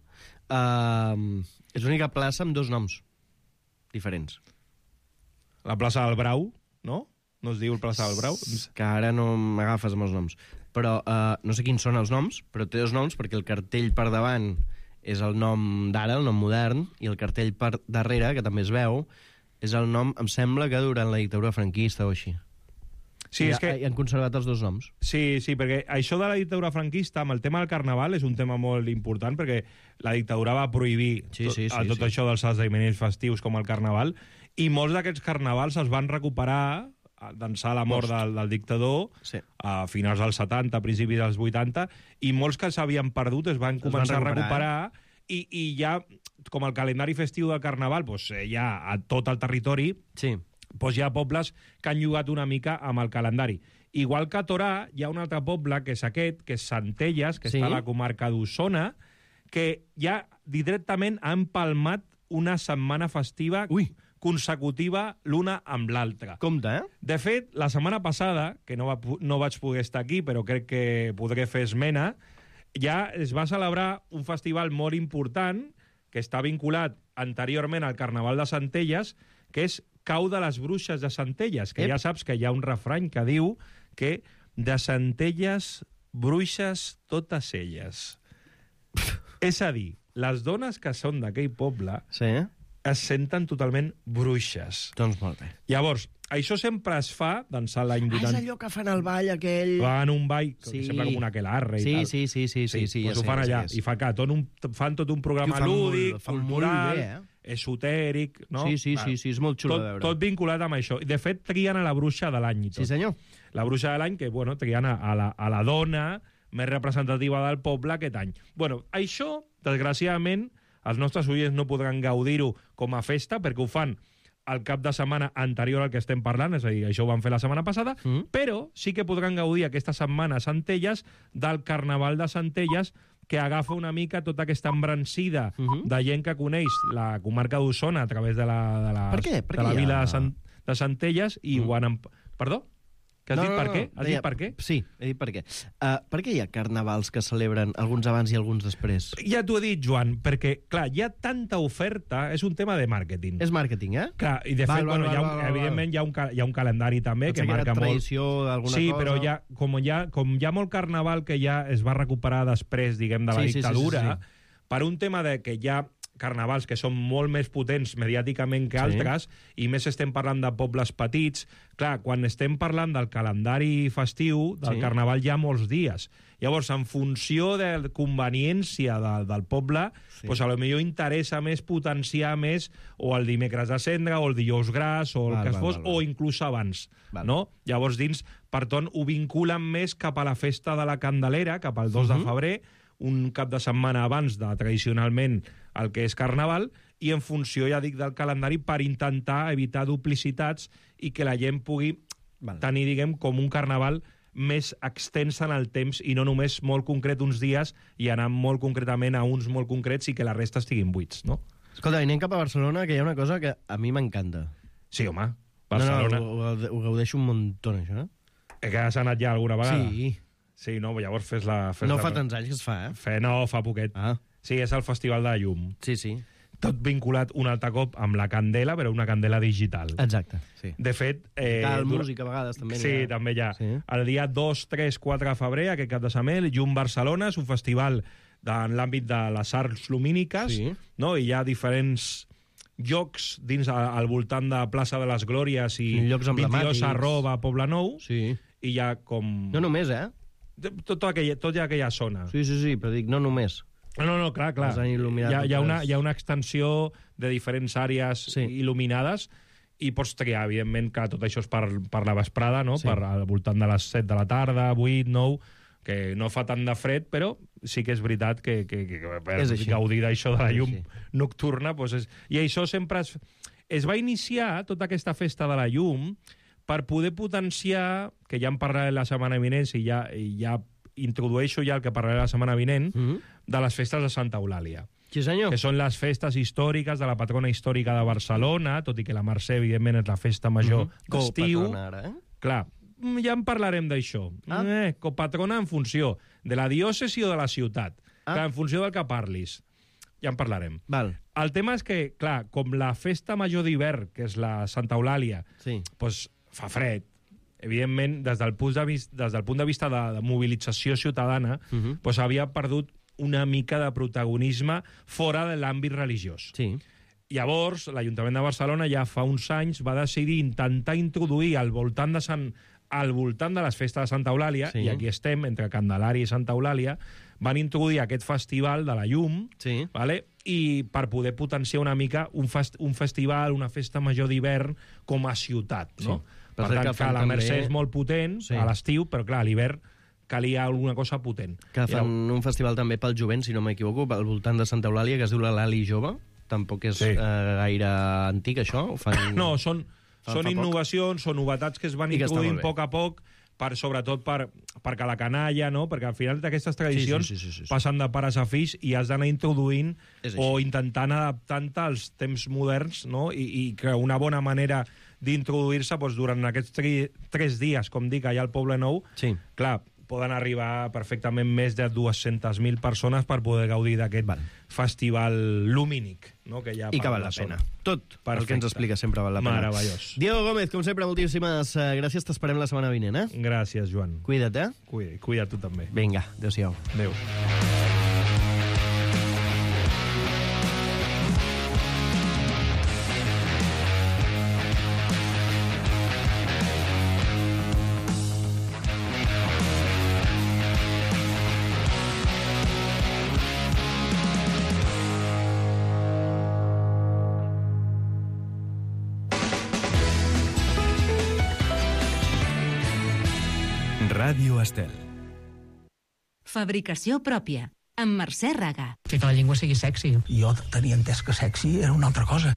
Uh, és l'única plaça amb dos noms diferents. La plaça del Brau, no? No es diu el plaça del Brau? Que ara no m'agafes amb els noms. Però uh, no sé quins són els noms, però té dos noms perquè el cartell per davant és el nom d'ara, el nom modern, i el cartell per darrere, que també es veu, és el nom, em sembla que durant la dictadura franquista o així. Sí, I és que... I han conservat els dos noms. Sí, sí, perquè això de la dictadura franquista, amb el tema del carnaval, és un tema molt important, perquè la dictadura va prohibir sí, sí, sí, tot, tot sí. això dels esdeveniments festius com el carnaval, i molts d'aquests carnavals es van recuperar d'ençà la mort del, del dictador sí. a finals dels setanta, principis dels vuitanta, i molts que s'havien perdut es van es començar van recuperar, a recuperar eh? i, i ja, com el calendari festiu del carnaval doncs, ja a tot el territori, sí. doncs hi ha pobles que han jugat una mica amb el calendari. Igual que a Torà hi ha un altre poble, que és aquest, que és Centelles, que sí. està a la comarca d'Osona, que ja directament ha empalmat una setmana festiva Ui. consecutiva l'una amb l'altra. Compte, eh? De fet, la setmana passada, que no, va, no vaig poder estar aquí, però crec que podré fer esmena, ja es va celebrar un festival molt important que està vinculat anteriorment al Carnaval de Centelles, que és Cau de les Bruixes de Centelles, que Ep. ja saps que hi ha un refrany que diu que de Centelles, bruixes totes elles. És a dir, les dones que són d'aquell poble sí. es senten totalment bruixes. Doncs molt bé. Llavors, això sempre es fa d'ençà l'any vuitanta. Ah, és allò que fan el ball aquell... Fan un ball, sí. sempre com un aquelarre i sí, tal. Sí, sí, sí, sí, sí, sí pues ja ho fan sé, allà. ja sé. I fa que tot un, fan tot un programa fan lúdic, molt, fan cultural, bé, eh? esotèric, no? Sí, sí, sí, sí, és molt xulo tot, de veure. Tot vinculat amb això. I, de fet, trien a la bruixa de l'any i tot. Sí, senyor. La bruixa de l'any, que, bueno, trien a, a, la, a la dona més representativa del poble aquest any. Bueno, això, desgraciadament, els nostres oients no podran gaudir-ho com a festa, perquè ho fan al cap de setmana anterior al que estem parlant, és a dir, això ho van fer la setmana passada, mm. però sí que podran gaudir aquesta setmana a Centelles del Carnaval de Centelles, que agafa una mica tota aquesta embrancida uh -huh. de gent que coneix la comarca d'Osona a través de la, de la, per què? Per de la què vila ha... de, Sant, de Centelles i mm. ho han... Perdó? Que has no, dit no, per no, què? Has deia, dit per què? Sí, he dit per què. Uh, per què hi ha carnavals que celebren alguns abans i alguns després? Ja t'ho he dit, Joan, perquè, clar, hi ha tanta oferta, és un tema de màrqueting. És màrqueting, eh? Clar, i de val, fet, val, bueno, val, hi ha un, val, val, evidentment hi ha un, hi ha un calendari també Pot que marca molt... tradició d'alguna sí, cosa... però ja, com, hi ha, com hi ha molt carnaval que ja es va recuperar després, diguem, de la sí, dictadura, sí, sí, sí, sí. per un tema de que hi ha carnavals que són molt més potents mediàticament que Sí. altres, i més estem parlant de pobles petits. Clar, quan estem parlant del calendari festiu, del Sí. carnaval hi ha molts dies. Llavors, en funció de la conveniència de, del poble, Sí. pues a lo millor interessa més potenciar més o el dimecres de cendra, o el dijous gras, o el Val, que val, fos, val, val. o inclús abans. Val. No? Llavors, dins, per tant, ho vinculen més cap a la festa de la Candelera, cap al dos Mhm. de febrer, un cap de setmana abans de, tradicionalment, el que és Carnaval, i en funció, ja dic, del calendari, per intentar evitar duplicitats i que la gent pugui Val. tenir, diguem, com un Carnaval més extens en el temps i no només molt concret uns dies i anar molt concretament a uns molt concrets i que la resta estiguin buits, no? Escolta, anem cap a Barcelona, que hi ha una cosa que a mi m'encanta. Sí, home, Barcelona... No, no, ho, ho gaudeixo un muntó, això. Eh, que has anat ja alguna vegada? Sí. Sí, no, llavors fes-la... Fes No la... fa tants anys que es fa, eh? Fe, no, fa poquet. Ah. Sí, és el Festival de la Llum. Sí, sí. Tot vinculat un altre cop amb la candela, però una candela digital. Exacte, sí. De fet... Eh, Cal dura... música a vegades també. Sí, ha... també hi ha. Sí. El dia dos, tres, quatre de febrer, aquest cap de setmana, Llum Barcelona, és un festival de, en l'àmbit de les arts lumíniques, Sí. no? I hi ha diferents llocs dins al voltant de Plaça de les Glòries i Llocs emblemàtics. vint-i-dos arroba Poblenou, Sí. i hi ha com... No només, eh? Tot, aquella, tot aquella zona. Sí, sí, sí, però dic, no només. No, no, no, clar, clar. Els han il·luminat Hi ha, hi, ha una, totes. hi ha una extensió de diferents àrees Sí. il·luminades i pots triar, evidentment, que tot això és per, per la vesprada, no? Sí. Per al voltant de les set de la tarda, vuit, nou, que no fa tant de fred, però sí que és veritat que, que, que, que per És així. gaudir d'això de la És llum així. nocturna... Doncs és... I això sempre es, es va iniciar, tota aquesta festa de la llum, per poder potenciar, que ja en parlaré la setmana vinent, i ja, i ja introdueixo ja el que parlaré la setmana vinent, Mm -hmm. de les festes de Santa Eulàlia. Sí, senyor. Que són les festes històriques de la patrona històrica de Barcelona, tot i que la Mercè, evidentment, és la festa major Mm -hmm. d'estiu. Copatrona, ara, eh? Clar, ja en parlarem d'això. Ah. Eh, copatrona en funció de la diòcesi o de la ciutat. Ah. Clar, en funció del que parlis. Ja en parlarem. Val. El tema és que, clar, com la festa major d'hivern, que és la Santa Eulàlia, Sí. doncs fa fred, evidentment, des del punt de vista, des del punt de, vista de, de mobilització ciutadana, Uh -huh. doncs havia perdut una mica de protagonisme fora de l'àmbit religiós. Sí. Llavors, l'Ajuntament de Barcelona ja fa uns anys va decidir intentar introduir al voltant de Sant al voltant de les festes de Santa Eulàlia, Sí. i aquí estem, entre Candelària i Santa Eulàlia, van introduir aquest festival de la llum, Sí. vale? I per poder potenciar una mica un, fest, un festival, una festa major d'hivern com a ciutat, no? Sí. Per Per cert, tant, que que, fan la també- Mercè és molt potent Sí. a l'estiu, però clar, a l'hivern calia alguna cosa potent. Que I fan un festival també pel jovent, si no m'equivoco, al voltant de Santa Eulàlia, que es diu la Lali Jove. Tampoc és Sí. eh, gaire antic, això? Ho fan... No, són, Fa- són fa poc. innovacions, són novetats que es van I que està introduint molt bé. a poc a poc, per, sobretot per, perquè la canalla, no? Perquè al final d'aquestes tradicions Sí, sí, sí, sí, sí. passen de pares a fills i has d'anar introduint És o així. intentant adaptant-te als temps moderns, no? I, i que una bona manera d'introduir-se doncs, durant aquests tri, tres dies, com dic, allà al Poble Nou, Sí. clar, poden arribar perfectament més de dues-centes mil persones per poder gaudir d'aquest Val. festival lumínic, no? Que hi ha I que per val la la zona. pena. Tot el que Perfecte. ens explica sempre val la pena. Meravellós. Diego Gómez, com sempre, moltíssimes eh, gràcies. T'esperem la setmana vinent, eh? Gràcies, Joan. Cuida't, eh? Cuida, cuida tu també. Vinga, adéu-siau. Adéu. Ràdio Estel. Fabricació pròpia. amb Mercè Raga. Que la llengua sigui sexy. Jo tenia entès que sexy era una altra cosa.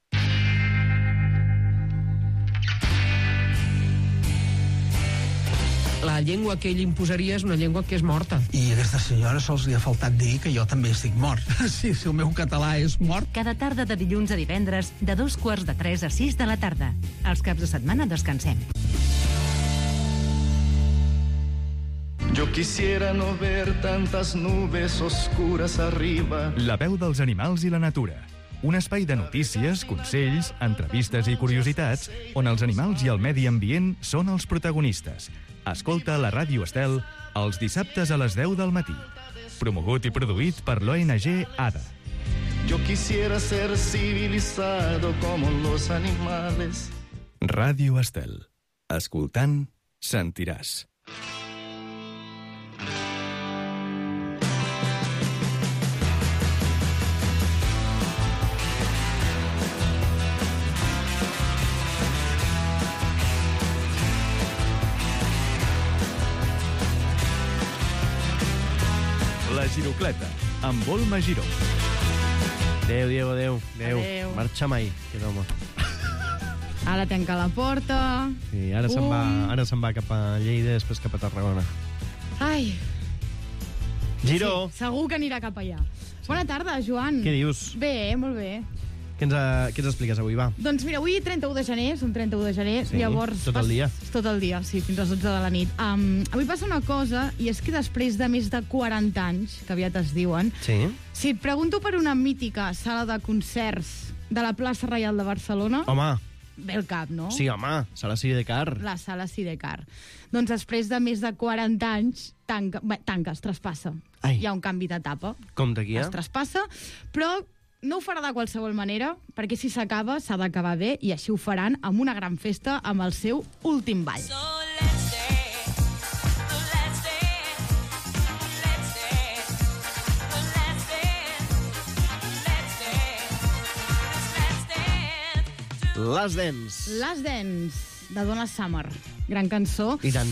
La llengua que ell imposaria és una llengua que és morta. I a aquesta senyora sols li ha faltat dir que jo també estic mort. Sí, si el meu català és mort. Cada tarda de dilluns a divendres, de dos quarts de tres a sis de la tarda. Els caps de setmana descansem. Yo quisiera no ver tantas nubes oscuras arriba. La veu dels animals i la natura. Un espai de notícies, consells, entrevistes i curiositats on els animals i el medi ambient són els protagonistes. Escolta la Ràdio Estel els dissabtes a les deu del matí. Promogut i produït per l'O N G ADA. Yo quisiera ser civilizado como los animales. Ràdio Estel. Escoltant, sentiràs. La Girocleta, amb Volma Giró. Adéu, Diego, adéu. Adéu. Adéu. Marxa mai, aquest home. Ara tanca la porta. Sí, ara se'n va, ara se'n va cap a Lleida, després cap a Tarragona. Ai. Giró. Sí, segur que anirà cap allà. Bona tarda, Joan. Què dius? Bé, molt bé. Què ens, què ens expliques avui, va? Doncs mira, avui trenta-u de gener, som trenta-u de gener, Sí, llavors... tot el dia. Pas, tot el dia, sí, fins a les dotze de la nit. Um, avui passa una cosa, i és que després de més de quaranta anys, que aviat es diuen, Sí. si et pregunto per una mítica sala de concerts de la plaça Reial de Barcelona... Home. Ve el cap, no? Sí, home, sala Sidecar. La sala Sidecar. Doncs després de més de quaranta anys, tanca, bé, tanca es traspassa. Ai. Hi ha un canvi d'etapa. Com d'aquí, eh? Es traspassa, però no ho farà de qualsevol manera, perquè si s'acaba, s'ha d'acabar bé, i així ho faran amb una gran festa amb el seu últim ball. Last Dance. Last Dance, de Donna Summer. Gran cançó. I tant.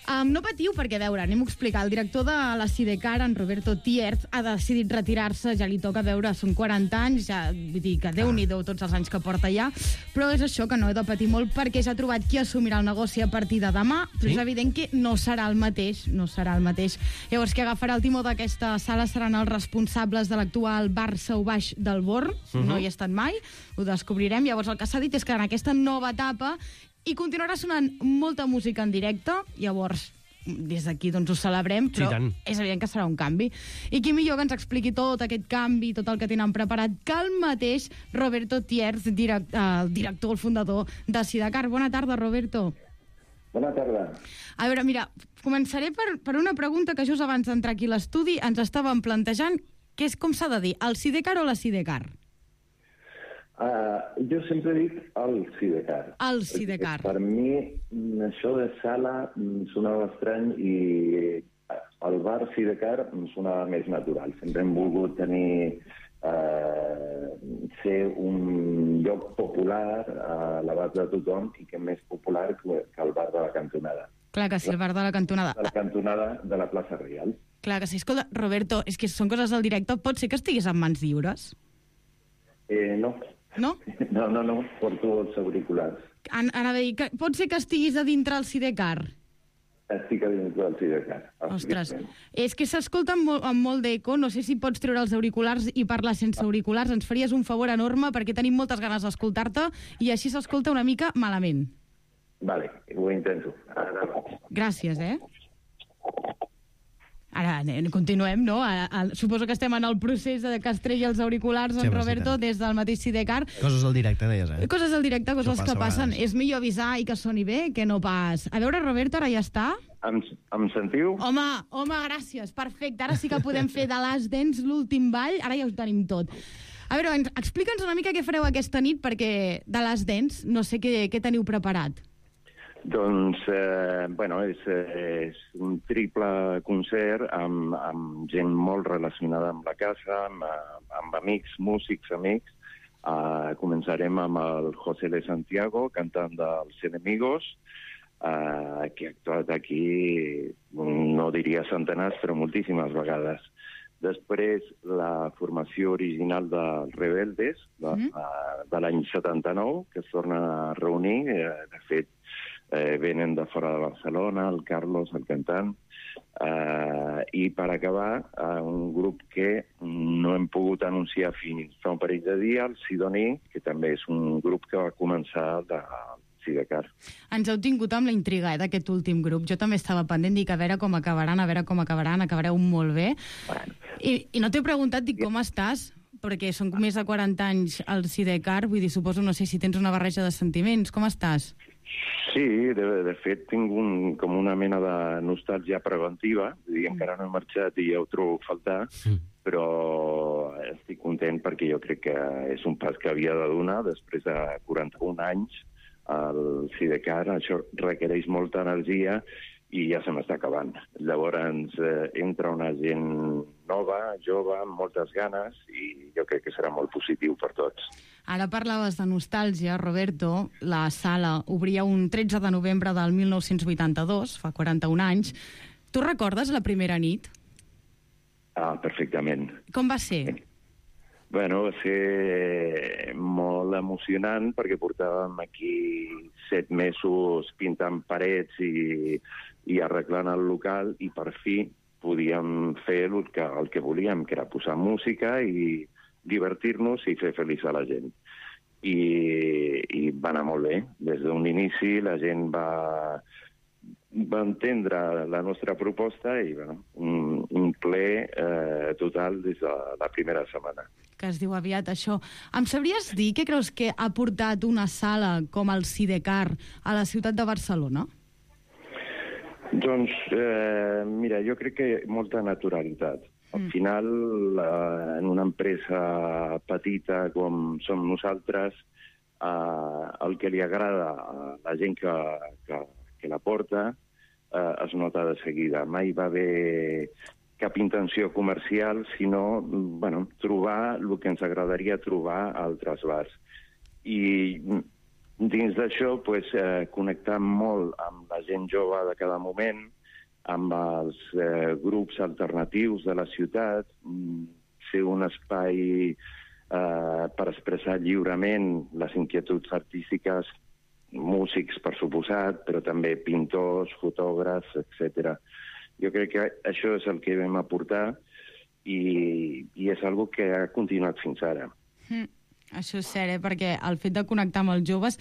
Um, no patiu, perquè, a veure, anem-ho a explicar. El director de la Sidecar, en Roberto Tierz, ha decidit retirar-se, ja li toca, veure, són quaranta anys, ja, vull dir que Déu-n'hi-do tots els anys que porta ja, però és això, que no he de patir molt, perquè ja ha trobat qui assumirà el negoci a partir de demà, però Sí? és evident que no serà el mateix, no serà el mateix. Llavors, qui agafarà el timó d'aquesta sala seran els responsables de l'actual bar Sau Baix del Born, uh -huh. no hi he estat mai, ho descobrirem. Llavors, el que s'ha dit és que en aquesta nova etapa i continuarà sonant molta música en directe, llavors des d'aquí doncs ho celebrem, però Sí, tant. és evident que serà un canvi. I qui millor que ens expliqui tot aquest canvi, tot el que tenen preparat, que el mateix Roberto Tierz, direct, el director, el fundador de Sidecar. Bona tarda, Roberto. Bona tarda. A veure, mira, començaré per, per una pregunta que just abans d'entrar aquí a l'estudi ens estàvem plantejant, que és com s'ha de dir, el Sidecar o la Sidecar? Uh, jo sempre dic el Sidecar. El Sidecar. Per mi, això de sala sonava estrany i el bar Sidecar sonava més natural. Sempre hem volgut tenir uh, ser un lloc popular a l'abast de tothom i que més popular que el bar de la cantonada. Clar que sí, el bar de la cantonada. De la cantonada de la plaça Reial. Clar que sí. Escolta, Roberto, és que són coses del directe. Pot ser que estiguis en mans lliures? Eh, no. No? No, no, no, porto els auriculars. An anava a dir, que pot ser que estiguis a dintre el Sidecar? Estic a dins del Sidecar. Ostres, és que s'escolta amb, molt, amb molt d'eco, no sé si pots treure els auriculars i parlar sense auriculars, ens faries un favor enorme perquè tenim moltes ganes d'escoltar-te i així s'escolta una mica malament. Vale, ho intento. Ara Gràcies, eh? Ara continuem, no? A, a, suposo que estem en el procés de que es tregui els auriculars, Sí, en home, Roberto, sí, des del mateix Sidecar. Coses del directe, deies, eh? Coses del directe, coses Això que passa a passen. vegades. És millor avisar i que soni bé que no pas... A veure, Roberto, ara ja està? Em, em sentiu? Home, home, gràcies, perfecte. Ara sí que podem fer de Last Dance l'últim ball, ara ja ho tenim tot. A veure, explica'ns una mica què fareu aquesta nit, perquè de Last Dance no sé què, què teniu preparat. Doncs, eh, bueno, és, és un triple concert amb, amb gent molt relacionada amb la casa, amb, amb amics, músics, amics. Uh, començarem amb el José de Santiago, cantant dels Enemigos, uh, que ha actuat aquí, no diria centenars, però moltíssimes vegades. Després, la formació original dels Rebeldes, de, mm. de l'any setanta-nou, que es tornen a reunir. Eh, de fet, eh, venen de fora de Barcelona, el Carlos, el cantant. Eh, I per acabar, eh, un grup que no hem pogut anunciar fins fa un parell de dies, el Sidoní, que també és un grup que va començar de Sidecar. Ens heu tingut amb la intriga eh, d'aquest últim grup. Jo també estava pendent, dic a veure com acabaran, a veure com acabaran, acabareu molt bé. Bueno. I, I no t'he preguntat, dic, com estàs? Perquè són més de quaranta anys al Sidecar, vull dir, suposo, no sé si tens una barreja de sentiments. Com estàs? Sí, de, de fet, tinc un, com una mena de nostàlgia preventiva. Vull dir, encara no he marxat i ja ho trobo a faltar, sí. Però estic content perquè jo crec que és un pas que havia de donar després de quaranta-un anys. El Sidecar, això requereix molta energia i ja se m'està acabant. Llavors eh, entra una gent nova, jove, amb moltes ganes, i jo crec que serà molt positiu per tots. Ara parlaves de nostàlgia, Roberto. La sala obria un tretze de novembre del mil nou-cents vuitanta-dos, fa quaranta-un anys. Tu recordes la primera nit? Ah, perfectament. Com va ser? Bueno, va ser molt emocionant perquè portàvem aquí set mesos pintant parets i, i arreglant el local i per fi podíem fer el que, el que volíem, que era posar música i divertir-nos i fer feliç a la gent. I, i va anar molt bé. Des d'un inici la gent va, va entendre la nostra proposta i bueno, un, un ple eh, total des de la primera setmana. Que es diu aviat això. Em sabries dir què creus que ha portat una sala com el Sidecar a la ciutat de Barcelona? Doncs, eh, mira, jo crec que molta naturalitat. Al mm. final, eh, en una empresa petita com som nosaltres, eh, el que li agrada a la gent que, que, que la porta eh, es nota de seguida. Mai va haver cap intenció comercial, sinó bueno, trobar el que ens agradaria trobar a altres bars. I dins d'això, pues, eh, connectar molt amb la gent jove de cada moment, amb els eh, grups alternatius de la ciutat, ser un espai eh, per expressar lliurement les inquietuds artístiques, músics, per suposat, però també pintors, fotògrafs, etcètera. Jo crec que això és el que vam aportar i, i és algo que ha continuat fins ara. Mm, això és cert, eh? Perquè el fet de connectar amb els joves,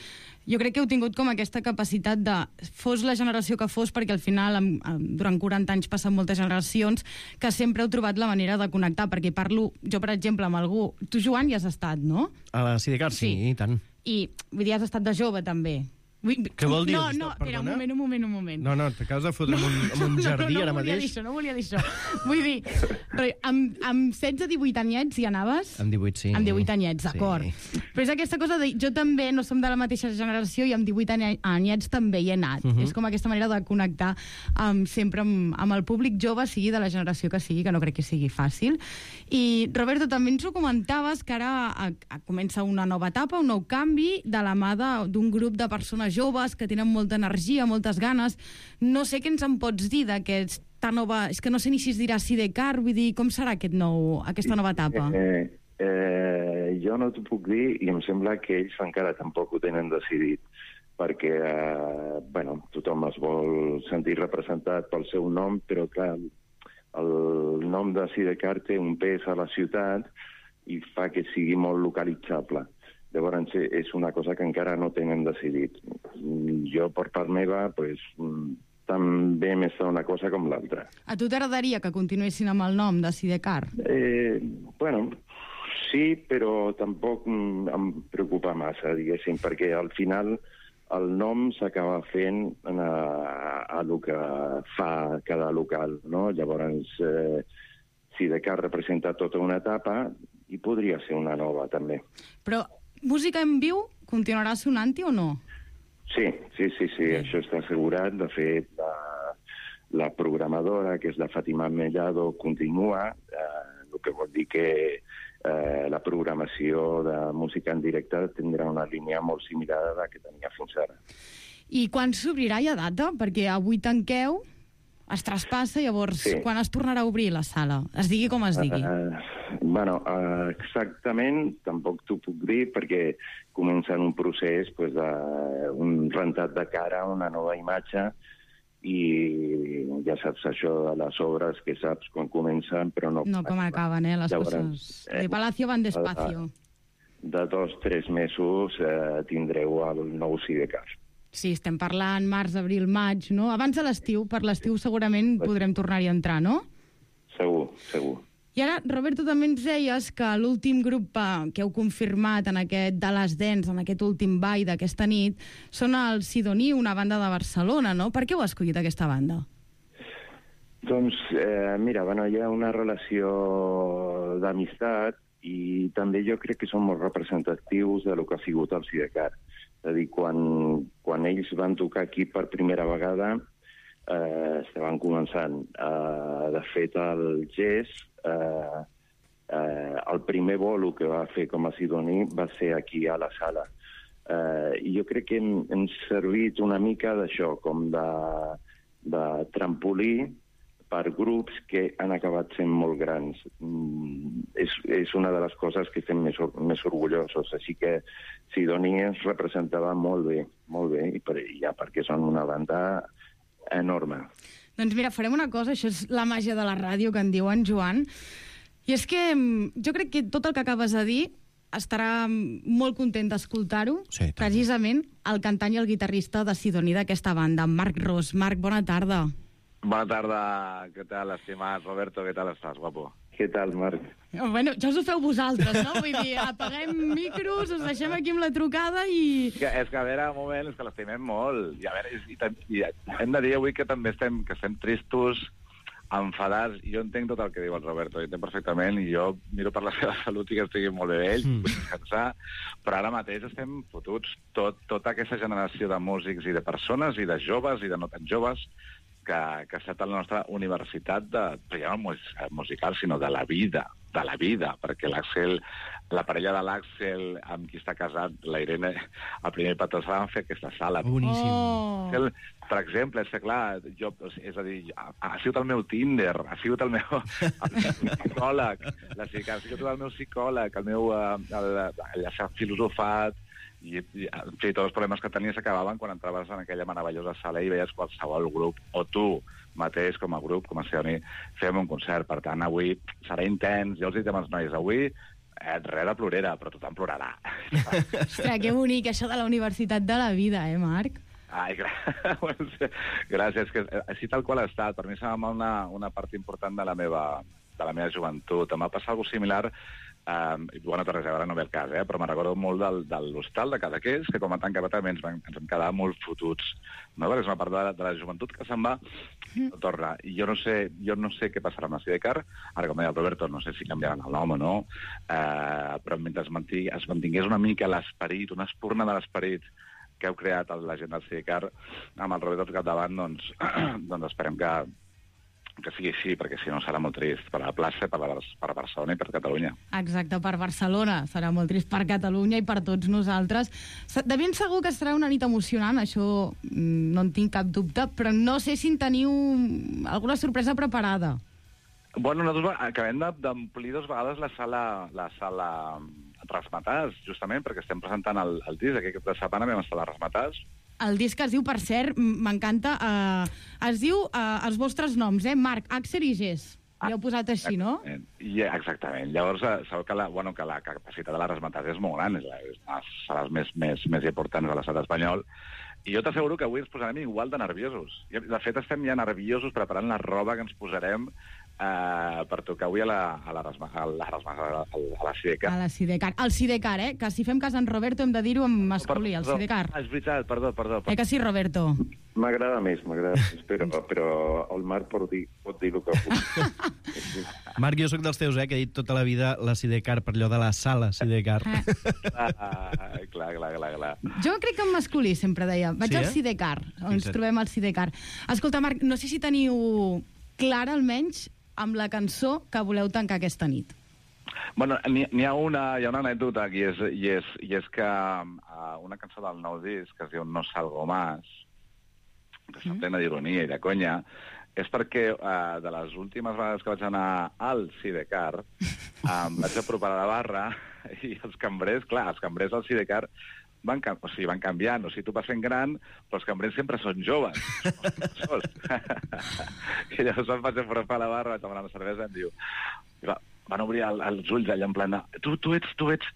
jo crec que heu tingut com aquesta capacitat de, fos la generació que fos, perquè al final, durant quaranta anys passen moltes generacions, que sempre heu trobat la manera de connectar, perquè parlo, jo per exemple, amb algú... Tu, Joan, hi has estat, no? A la Sidecar, sí, sí, i tant. I, vull dir, has estat de jove, també. Vull... Què vol dir? No, no, espera, un moment, un moment, un moment. No, no, t'acabes de fotre no, en un jardí no, no, ara no mateix. Dir això, no volia dir això. Vull dir, amb, amb setze divuit anyets hi anaves? Amb divuit, sí. Amb divuit anyets, d'acord. Sí. Però és aquesta cosa de... Jo també no som de la mateixa generació i amb divuit anyets també hi he anat. Uh -huh. És com aquesta manera de connectar um, sempre amb, amb el públic jove, sigui de la generació que sigui, que no crec que sigui fàcil. I, Roberto, també ens ho comentaves, que ara a, a, comença una nova etapa, un nou canvi, de la mà d'un grup de persones joves que tenen molta energia, moltes ganes. No sé què ens en pots dir d'aquesta nova... És que no sé ni si es dirà Sidecar, vull dir, com serà aquest nou, aquesta nova etapa? Eh, eh, jo no t'ho puc dir i em sembla que ells encara tampoc ho tenen decidit, perquè eh, bueno, tothom es vol sentir representat pel seu nom, però clar, el nom de Sidecar té un pes a la ciutat i fa que sigui molt localitzable. Llavors, és una cosa que encara no tenen decidit. Jo, per part meva, pues, també m'està una cosa com l'altra. A tu t'agradaria que continuessin amb el nom de Sidecar? Eh, bueno, sí, però tampoc em preocupa massa, diguéssim, perquè al final el nom s'acaba fent a, a el que fa cada local, no? Llavors, eh, Sidecar representa tota una etapa i podria ser una nova, també. Però música en viu continuarà sonant-hi o no? Sí, sí, sí, sí, això està assegurat. De fet, la, la programadora, que és la Fàtima Mellado, continua, eh, el que vol dir que eh, la programació de música en directe tindrà una línia molt similar a la que tenia fins ara. I quan s'obrirà ja data? Perquè avui tanqueu, es traspassa, llavors, Sí. quan es tornarà a obrir la sala? Es digui com es digui. Uh, bueno, uh, exactament, tampoc t'ho puc dir, perquè comença en un procés pues, d'un rentat de cara, una nova imatge, i ja saps això de les obres, que saps quan comencen, però no... No com acaben, eh, les Llavors, coses. eh, De Palacio van despacio. De dos, tres mesos eh, tindreu el nou Sidecar. Sí, estem parlant març, abril, maig, no? Abans de l'estiu, per l'estiu segurament podrem tornar-hi a entrar, no? Segur, segur. I ara, Roberto, també ens deies que l'últim grup eh, que heu confirmat en aquest de les Dents, en aquest últim ball d'aquesta nit, són el Sidoní, una banda de Barcelona, no? Per què heu escollit aquesta banda? Doncs, eh, mira, bueno, hi ha una relació d'amistat i també jo crec que són molt representatius de lo que ha sigut el Sidecar. És a dir, quan, quan ells van tocar aquí per primera vegada, eh, estaven començant. Eh, de fet, el Gés, eh, eh, el primer bolo que va fer com a Sidoní va ser aquí a la sala. Eh, I jo crec que hem, hem servit una mica d'això, com de, de trampolí per grups que han acabat sent molt grans. Mm, és, és una de les coses que estem més, més orgullosos. Així que Sidoní ens representava molt bé, molt bé, i per, ja perquè són una banda enorme. Doncs mira, farem una cosa, això és la màgia de la ràdio que en diuen, Joan, i és que mm, jo crec que tot el que acabes de dir estarà molt content d'escoltar-ho, sí, precisament el cantant i el guitarrista de Sidoní d'aquesta banda, Marc Ros. Marc, bona tarda. Bona tarda, què tal, estimat Roberto, què tal estàs, guapo? Què tal, Marc? Bueno, ja us ho feu vosaltres, no? Vull dir, apaguem micros, us deixem aquí amb la trucada i... Que, és que, a veure, un moment, és que l'estimem molt. I, a veure, i, i, i hem de dir avui que també estem, que estem tristos, enfadats. Jo entenc tot el que diu el Roberto, ho entenc perfectament, i jo miro per la seva salut i que estigui molt bé ell, mm. vull descansar, però ara mateix estem fotuts. Tot, tota aquesta generació de músics i de persones, i de joves i de no tan joves, que, que ha estat a la nostra universitat, de, ja no musical, sinó de la vida, de la vida, perquè l'Àxel, la parella de l'Àxel amb qui està casat, la Irene, el primer petó van fer aquesta sala. Boníssim. Oh. El, per exemple, és que clar, jo, és a dir, ha, ha sigut el meu Tinder, ha sigut el meu, el meu psicòleg, la, ha sigut el meu psicòleg, el meu el, el, el, el filosofat, i, i en fi, tots els problemes que tenies s'acabaven quan entraves en aquella meravellosa sala i veies qualsevol grup, o tu mateix com a grup, com a Sidoní, fem un concert. Per tant, avui serà intens. Jo els dic als nois, avui eh, res de plorera, però tothom plorarà. Ostres, que bonic, això de la universitat de la vida, eh, Marc? Ai, gràcies, que així tal qual ha estat. Per mi sembla una, una part important de la meva, de la meva joventut. Em va passar alguna cosa similar. Um, bueno, res, ara no ve el cas, eh? Però me'n recordo molt del, de l'hostal de Cadaqués, que com a tanca també ens, van, ens vam quedar molt fotuts, no? Perquè és una part de la, de la joventut que se'n va, no torna. I jo no sé, jo no sé què passarà amb la Sidecar, ara com deia el Roberto, no sé si canviaran el nom o no, uh, però mentre es, mantingui, es mantingués una mica l'esperit, una espurna de l'esperit que heu creat la gent del Sidecar, amb el Roberto al capdavant, doncs, doncs esperem que que sigui així, perquè si no serà molt trist per a la plaça, per a, per a Barcelona i per Catalunya. Exacte, per Barcelona. Serà molt trist per Catalunya i per tots nosaltres. De ben segur que serà una nit emocionant, això no en tinc cap dubte, però no sé si en teniu alguna sorpresa preparada. Bueno, nosaltres acabem d'omplir dues vegades la sala, la sala Rasmatàs, justament, perquè estem presentant el, el disc. Aquest cap de setmana vam estar a la Rasmatàs. El disc es diu, per cert, m'encanta, eh, es diu eh, els vostres noms, eh? Marc, Àxel i Gés. Ah, l'heu posat així, no? I, exactament. Llavors, sabeu que la, bueno, que la capacitat de la Rasmatàs és molt gran, és una de les sales més, més, més importants de l'estat espanyol, i jo t'asseguro que avui ens posarem igual de nerviosos. De fet, estem ja nerviosos preparant la roba que ens posarem Uh, per tocar avui a la, a la, Rasma, a la, Rasma, a la Sidecar. A la Sidecar. El Sidecar, eh? Que si fem cas en Roberto hem de dir-ho en masculí, el Sidecar. Ah, és veritat, perdó, perdó. perdó. Eh que sí, Roberto? M'agrada més, m'agrada més, però, però el Marc pot dir, pot dir el que pugui. Marc, jo sóc dels teus, eh, que he dit tota la vida la Sidecar, per allò de la sala Sidecar. Ah, clar, clar, clar, clar. Jo crec que en masculí sempre deia. Vaig sí, al eh? Sidecar, on ens trobem al Sidecar. Escolta, Marc, no sé si teniu clara, almenys, amb la cançó que voleu tancar aquesta nit. Bueno, n'hi ha una, hi ha una anècdota aquí, és, i, és, i és que uh, una cançó del nou disc, que es diu No Salgo Más, que està plena d'ironia i de conya, és perquè uh, de les últimes vegades que vaig anar al Sidecar em vaig apropar a la barra i els cambrers, clar, els cambrers al Sidecar van, o sigui, van canviant, o sigui, tu vas fent gran, però els cambrers sempre són joves. I llavors em vaig apropar a la barra, vaig demanar una cervesa, i em diu, va, van obrir el, els ulls allà en plan, tu, tu ets, tu ets,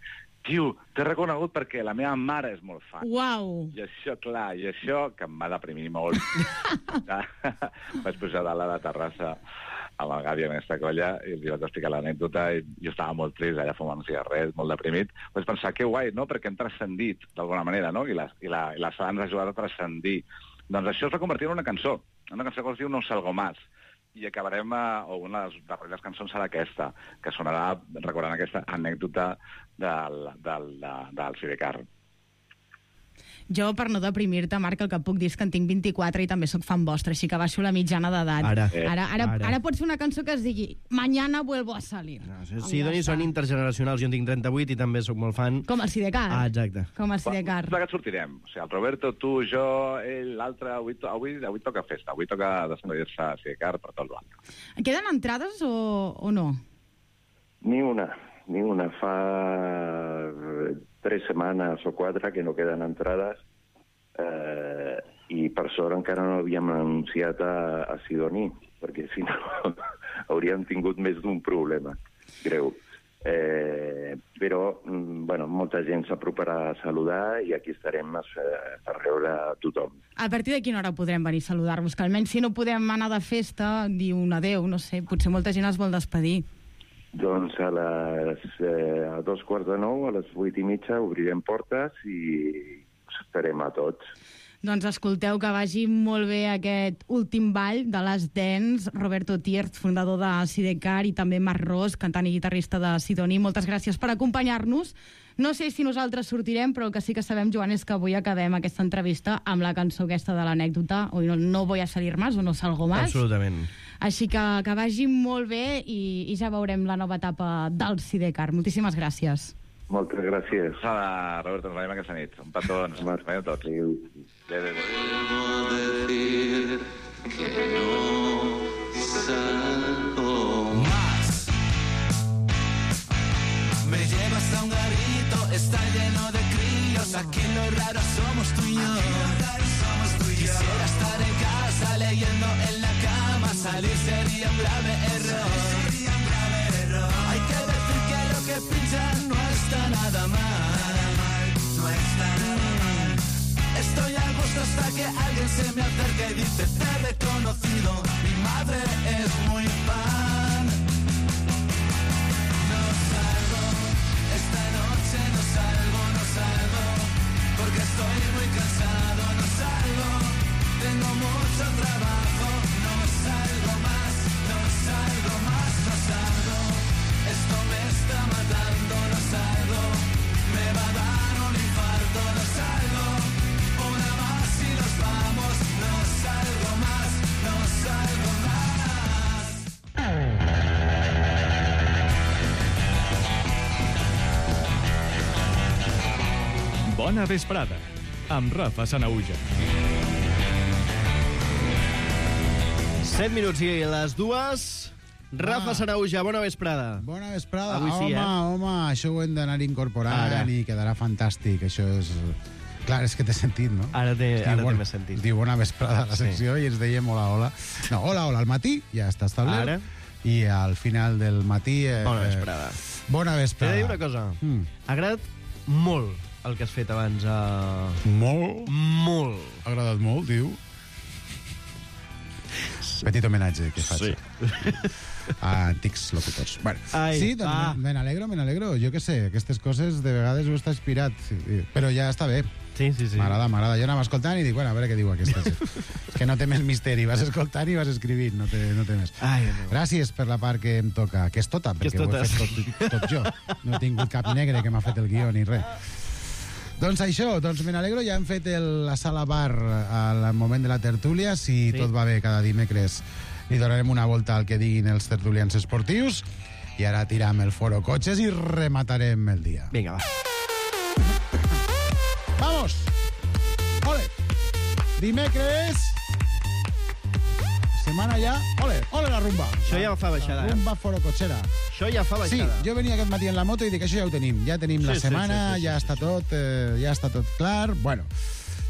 tio, t'he reconegut perquè la meva mare és molt fan. Uau! I això, clar, i això que em va deprimir molt. Vaig pujar dalt a la terrassa amb el Gavi en aquesta colla i els vaig explicar l'anècdota i jo estava molt trist allà fumant un cigarret, molt deprimit. Vaig pensar, que guai, no?, perquè hem transcendit d'alguna manera, no?, i la, i la, i la sala ens ha ajudat a transcendir. Doncs això es va convertir en una cançó, una cançó que es diu No salgo más. I acabarem, o una de les darreres cançons serà aquesta, que sonarà recordant aquesta anècdota del, del, del, del Sidecar. Jo, per no deprimir-te, Marc, el que puc dir és que en tinc vint-i-quatre i també sóc fan vostre, així que baixo la mitjana d'edat. Ara. Ara, ara, Ara. ara pot ser una cançó que es digui Mañana vuelvo a salir. No, sí, Doni, són intergeneracionals. Jo en tinc trenta-vuit i també sóc molt fan. Com el Sidecar. Ah, exacte. Com el Sidecar. Quants plegats sortirem? O sigui, el Roberto, tu, jo, ell, l'altre, avui, avui, avui toca festa, avui toca descendir-se a Sidecar per tot l'any. Queden entrades o, o no? Ni una, ni una. Fa tres setmanes o quatre que no queden entrades eh, i per sort encara no havíem anunciat a, a Sidoní, perquè si no hauríem tingut més d'un problema greu. Eh, però, bueno, molta gent s'aproparà a saludar i aquí estarem eh, per rebre a tothom. A partir de quina hora podrem venir a saludar-vos? Que almenys si no podem anar de festa, dir un adeu, no sé, potser molta gent es vol despedir. Doncs a les eh, a dos quarts de nou, a les vuit i mitja, obrirem portes i us esperem a tots. Doncs escolteu, que vagi molt bé aquest últim ball de les Dance. Roberto Tiert, fundador de Sidecar, i també Marc Ros, cantant i guitarrista de Sidoní. Moltes gràcies per acompanyar-nos. No sé si nosaltres sortirem, però el que sí que sabem, Joan, és que avui acabem aquesta entrevista amb la cançó aquesta de l'anècdota, o no, no voy a salir más, o no salgo más. Absolutament. Així que que vagi molt bé i, i ja veurem la nova etapa del Sidecar. Moltíssimes gràcies. Moltes gràcies. Hola, Roberto, ens veiem aquesta nit. Un petó, ens veiem tots. Decir que no salgo más. Me llevas a un garito, está lleno de críos. Aquí lo raro somos tú y yo. Quisiera estar en casa leyendo en la cama. Salir sería un grave error. Hay que decir que lo que pinchan no está nada mal. No está nada mal. Estoy a gusto hasta que alguien se me acerque y dice: te he reconocido, mi madre es muy fan. No salgo, esta noche no salgo, no salgo, porque estoy muy cansado, no salgo, tengo mucho trabajo, no salgo más, no salgo más, no salgo, esto me está matando, no salgo, me va a dar un infarto, no salgo. Una más y nos vamos, no salgo más, no salgo más. Bona vesprada, amb Rafa Sanahuja. Set minuts i les dues. Rafa Sanahuja, bona vesprada. Bona vesprada. Avui sí, home, eh? home, això ho hem d'anar incorporant Ara. i quedarà fantàstic. Això és... Clar, és que t'he sentit, no? Ara té, Diu, ara té bona- més sentit. Diu bona vesprada a la secció Sí. i ens dèiem hola, hola. No, hola, hola, al matí ja està establert. Ara. I al final del matí... Eh, Bona vesprada. Bona T'he vesprada. de dir una cosa. Mm. Ha agradat molt el que has fet abans. A... Molt? Molt. Ha agradat molt, diu. Petit homenatge que faig. Sí. A antics locutors. Bueno, Ai, sí, doncs ah. me n'alegro, me n'alegro. Jo què sé, aquestes coses de vegades ho està inspirat, però ja està bé. Sí, sí, sí. M'agrada, m'agrada. Jo anava escoltant i dic, bueno, a veure què diu aquesta. És que no té més misteri. Vas escoltant i vas escrivint, no té, no té més. Ai, Déu. Gràcies per la part que em toca, que és tota, Que és perquè ho he tota, fet tot, tot jo. No he tingut cap negre que m'ha fet el guió ni res. Doncs això, doncs me n'alegro, ja hem fet el, la sala bar al moment de la tertúlia. Si Sí. tot va bé, cada dimecres li donarem una volta al que diguin els tertulians esportius i ara tiram el foro cotxes i rematarem el dia. Vinga, va. Vamos! Ole! Dimecres setmana ja... Ole, ole la rumba. Això ja fa baixada, La rumba forocotxera. Això ja fa baixada. Sí, jo venia aquest matí en la moto i dic, això ja ho tenim. Ja tenim Sí, la sí, setmana, sí, sí, sí, ja està tot, eh, ja està tot clar. Bueno,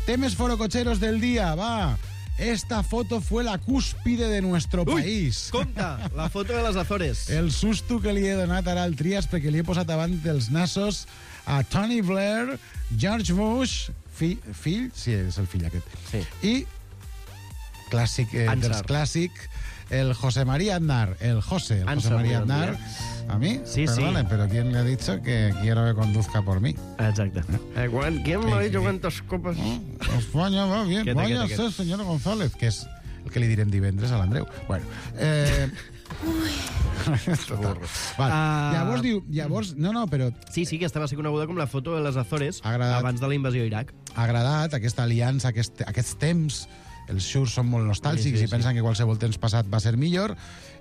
temes forocotxeros del dia, va. Esta foto fue la cúspide de nuestro Ui, país. compte, la foto de les Azores. El susto que li he donat ara al Trias perquè li he posat davant dels nassos a Tony Blair, George Bush, fill, fill sí, és el fill aquest, sí. i clàssic, eh, dels clàssic, el José María Aznar, el José, el José María Aznar. A mí, Sí, perdone, sí. pero ¿quién le ha dicho que quiero que conduzca por mí? Exacte. Eh, quan, ¿Quién me ha dicho cuántas copas? España va bien, Quieta, vaya quieta, ser, señor González, que és el que li direm divendres a l'Andreu. Bueno, eh... Total. Val. Ah. Llavors diu, llavors, no, no, però Sí, sí, aquesta va ser coneguda com la foto de les Azores agradat. abans de la invasió a Iraq. ha agradat aquesta aliança, aquest, aquests temps. Els xurs són molt nostàlgics Sí, sí, i pensen sí. que qualsevol temps passat va ser millor.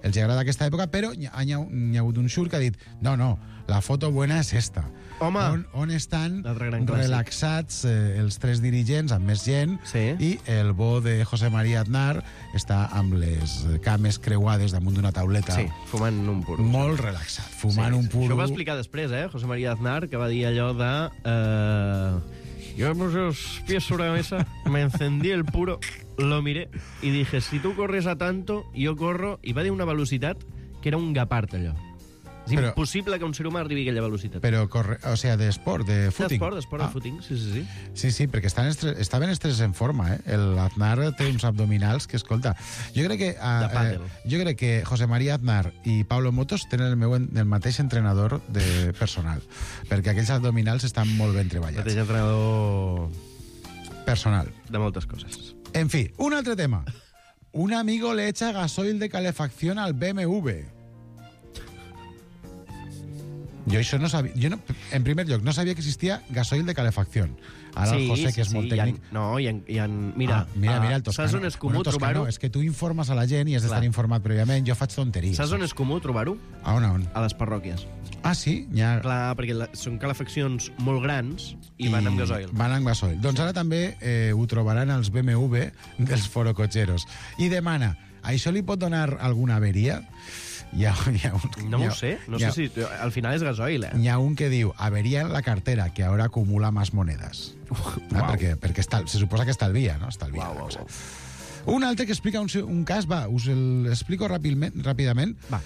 Els agrada aquesta època, però hi ha, hi ha, hi ha hagut un xur que ha dit no, no, la foto buena és esta. Home! On, on estan gran clàssic. relaxats eh, els tres dirigents, amb més gent, Sí. i el bo de José María Aznar està amb les cames creuades damunt d'una tauleta. Sí, fumant un puro. Molt relaxat, fumant Sí, un puro. Això ho va explicar després, eh, José María Aznar, que va dir allò de... Eh, yo me puse los pies sobre la mesa, me encendí el puro, lo miré y dije, si tú corres a tanto, yo corro... I va dir una velocitat que era un gapart, allò. És Però- impossible que un ser humà arribi a aquella velocitat. Però, corre, o sea, d'esport, de footing. D'esport, d'esport, Ah. de footing, sí, sí, sí. Sí, sí, perquè estan estres, estaven els tres en forma, eh? El Aznar té uns abdominals que, escolta, jo crec que, De uh, pàdel. eh, jo crec que José María Aznar i Pablo Motos tenen el, meu, en- el mateix entrenador de personal, perquè aquells abdominals estan molt ben treballats. Mateix entrenador Personal. de moltes coses. En fi, un altre tema. Un amigo le echa gasoil de calefacción al B M W. Jo això no sabia... Jo no, en primer lloc, no sabia que existia gasoil de calefacció. Ara el José, que és molt hi ha- tècnic... no, hi ha, hi ha, mira, Ah, mira, mira, el ah, Toscano. saps on és comú Bueno, Toscano, trobar-ho? és que tu informes a la gent i has d'estar Clar. informat prèviament. Jo faig tonteries. Saps on és comú trobar-ho? A on, a on? A les parròquies. Ah, sí? Hi ha... Clar, perquè la, són calefaccions molt grans i, van amb gasoil. Van amb gasoil. Doncs ara també eh, ho trobaran els B M W dels forocotxeros. I demana, això li pot donar alguna averia? Hi ha, hi ha un, No hi ha- ho sé, no hi ha- sé si... Al final és gasoil, eh? Hi ha un que diu, averia en la cartera, que ahora acumula más monedas. Ah, perquè perquè estal, se suposa que estalvia, no? Estalvia. Uau, uau, uau. Un altre que explica un, un cas, va, us el explico ràpidament. ràpidament. Va.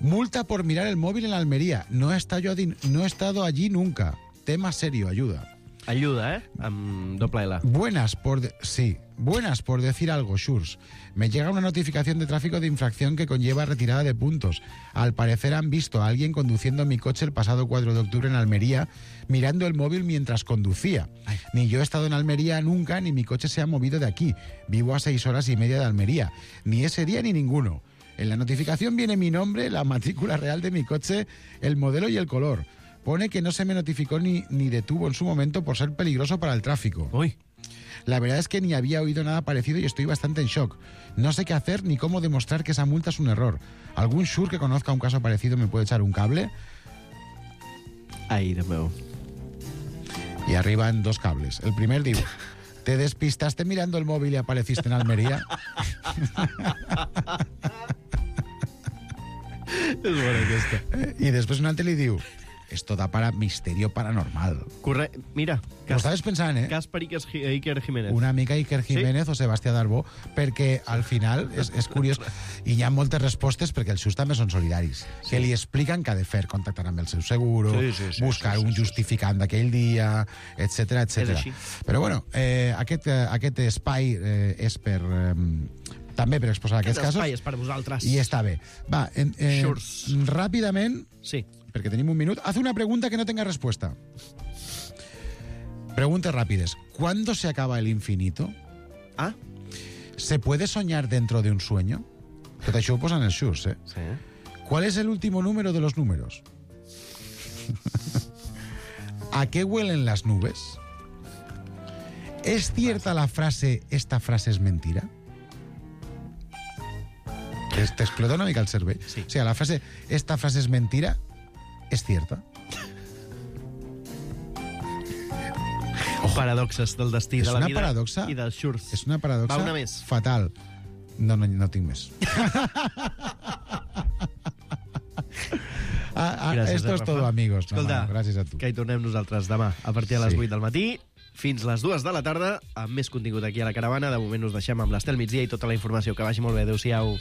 Multa por mirar el móvil en Almería. No he estado, allí, no he estado allí nunca. Tema serio, ayuda. Ayuda, eh? Amb doble L. Buenas por... De sí, buenas por decir algo, Shurs. Me llega una notificación de tráfico de infracción que conlleva retirada de puntos. Al parecer han visto a alguien conduciendo mi coche el pasado cuatro de octubre en Almería, mirando el móvil mientras conducía. Ay. Ni yo he estado en Almería nunca, ni mi coche se ha movido de aquí. Vivo a seis horas y media de Almería. Ni ese día ni ninguno. En la notificación viene mi nombre, la matrícula real de mi coche, el modelo y el color. Pone que no se me notificó ni, ni detuvo en su momento por ser peligroso para el tráfico. Uy. La verdad es que ni había oído nada parecido y estoy bastante en shock. No sé qué hacer ni cómo demostrar que esa multa es un error. ¿Algún Shur que conozca un caso parecido me puede echar un cable? Ai, Déu meu. Y arriban dos cables. El primer digo, ¿te despistaste mirando el móvil y apareciste en Almería? És bona aquesta. Eh, I després un altre li diu, esto da para misterio paranormal. Corre... Mira, Ho estaves pensant, eh? cas per Iker, Iker Jiménez. Una mica Iker Jiménez sí? o Sebastià Darbó, perquè al final és, és curiós i hi ha moltes respostes perquè els seus també són solidaris, sí. que li expliquen què ha de fer, contactar amb el seu seguro, sí, sí, sí, buscar sí, sí, un sí, justificant d'aquell dia, etcètera, etcètera. Però bueno, eh, aquest, eh, aquest espai eh, és per... Eh, també per exposar aquests Aquest casos. espai és per vosaltres. I està bé. Va, en, eh, Shurs. ràpidament, sí. perquè tenim un minut, haz una pregunta que no tenga respuesta. Preguntas rápidas. ¿Cuándo se acaba el infinito? Ah. ¿Se puede soñar dentro de un sueño? Tot això ho posen els Shurs, eh? Sí. ¿Cuál es el último número de los números? ¿A qué huelen las nubes? ¿Es cierta la frase, esta frase es mentira? Te explota una mica el cervell. Sí. O sea, la frase, esta frase es mentira, ¿es cierta? Paradoxes del destí, és de la una vida paradoxa, i dels Shurs. És una paradoxa Va, una més. fatal. No, no, no tinc més. ah, ah, Gràcies, esto es Rafa. todo, amigos. Escolta, no, no, gràcies a tu. que hi tornem nosaltres demà a partir de les Sí. vuit del matí fins les dues de la tarda amb més contingut aquí a la Caravana. De moment us deixem amb l'Estel Migdia i tota la informació. Que vagi molt bé. Adéu-siau.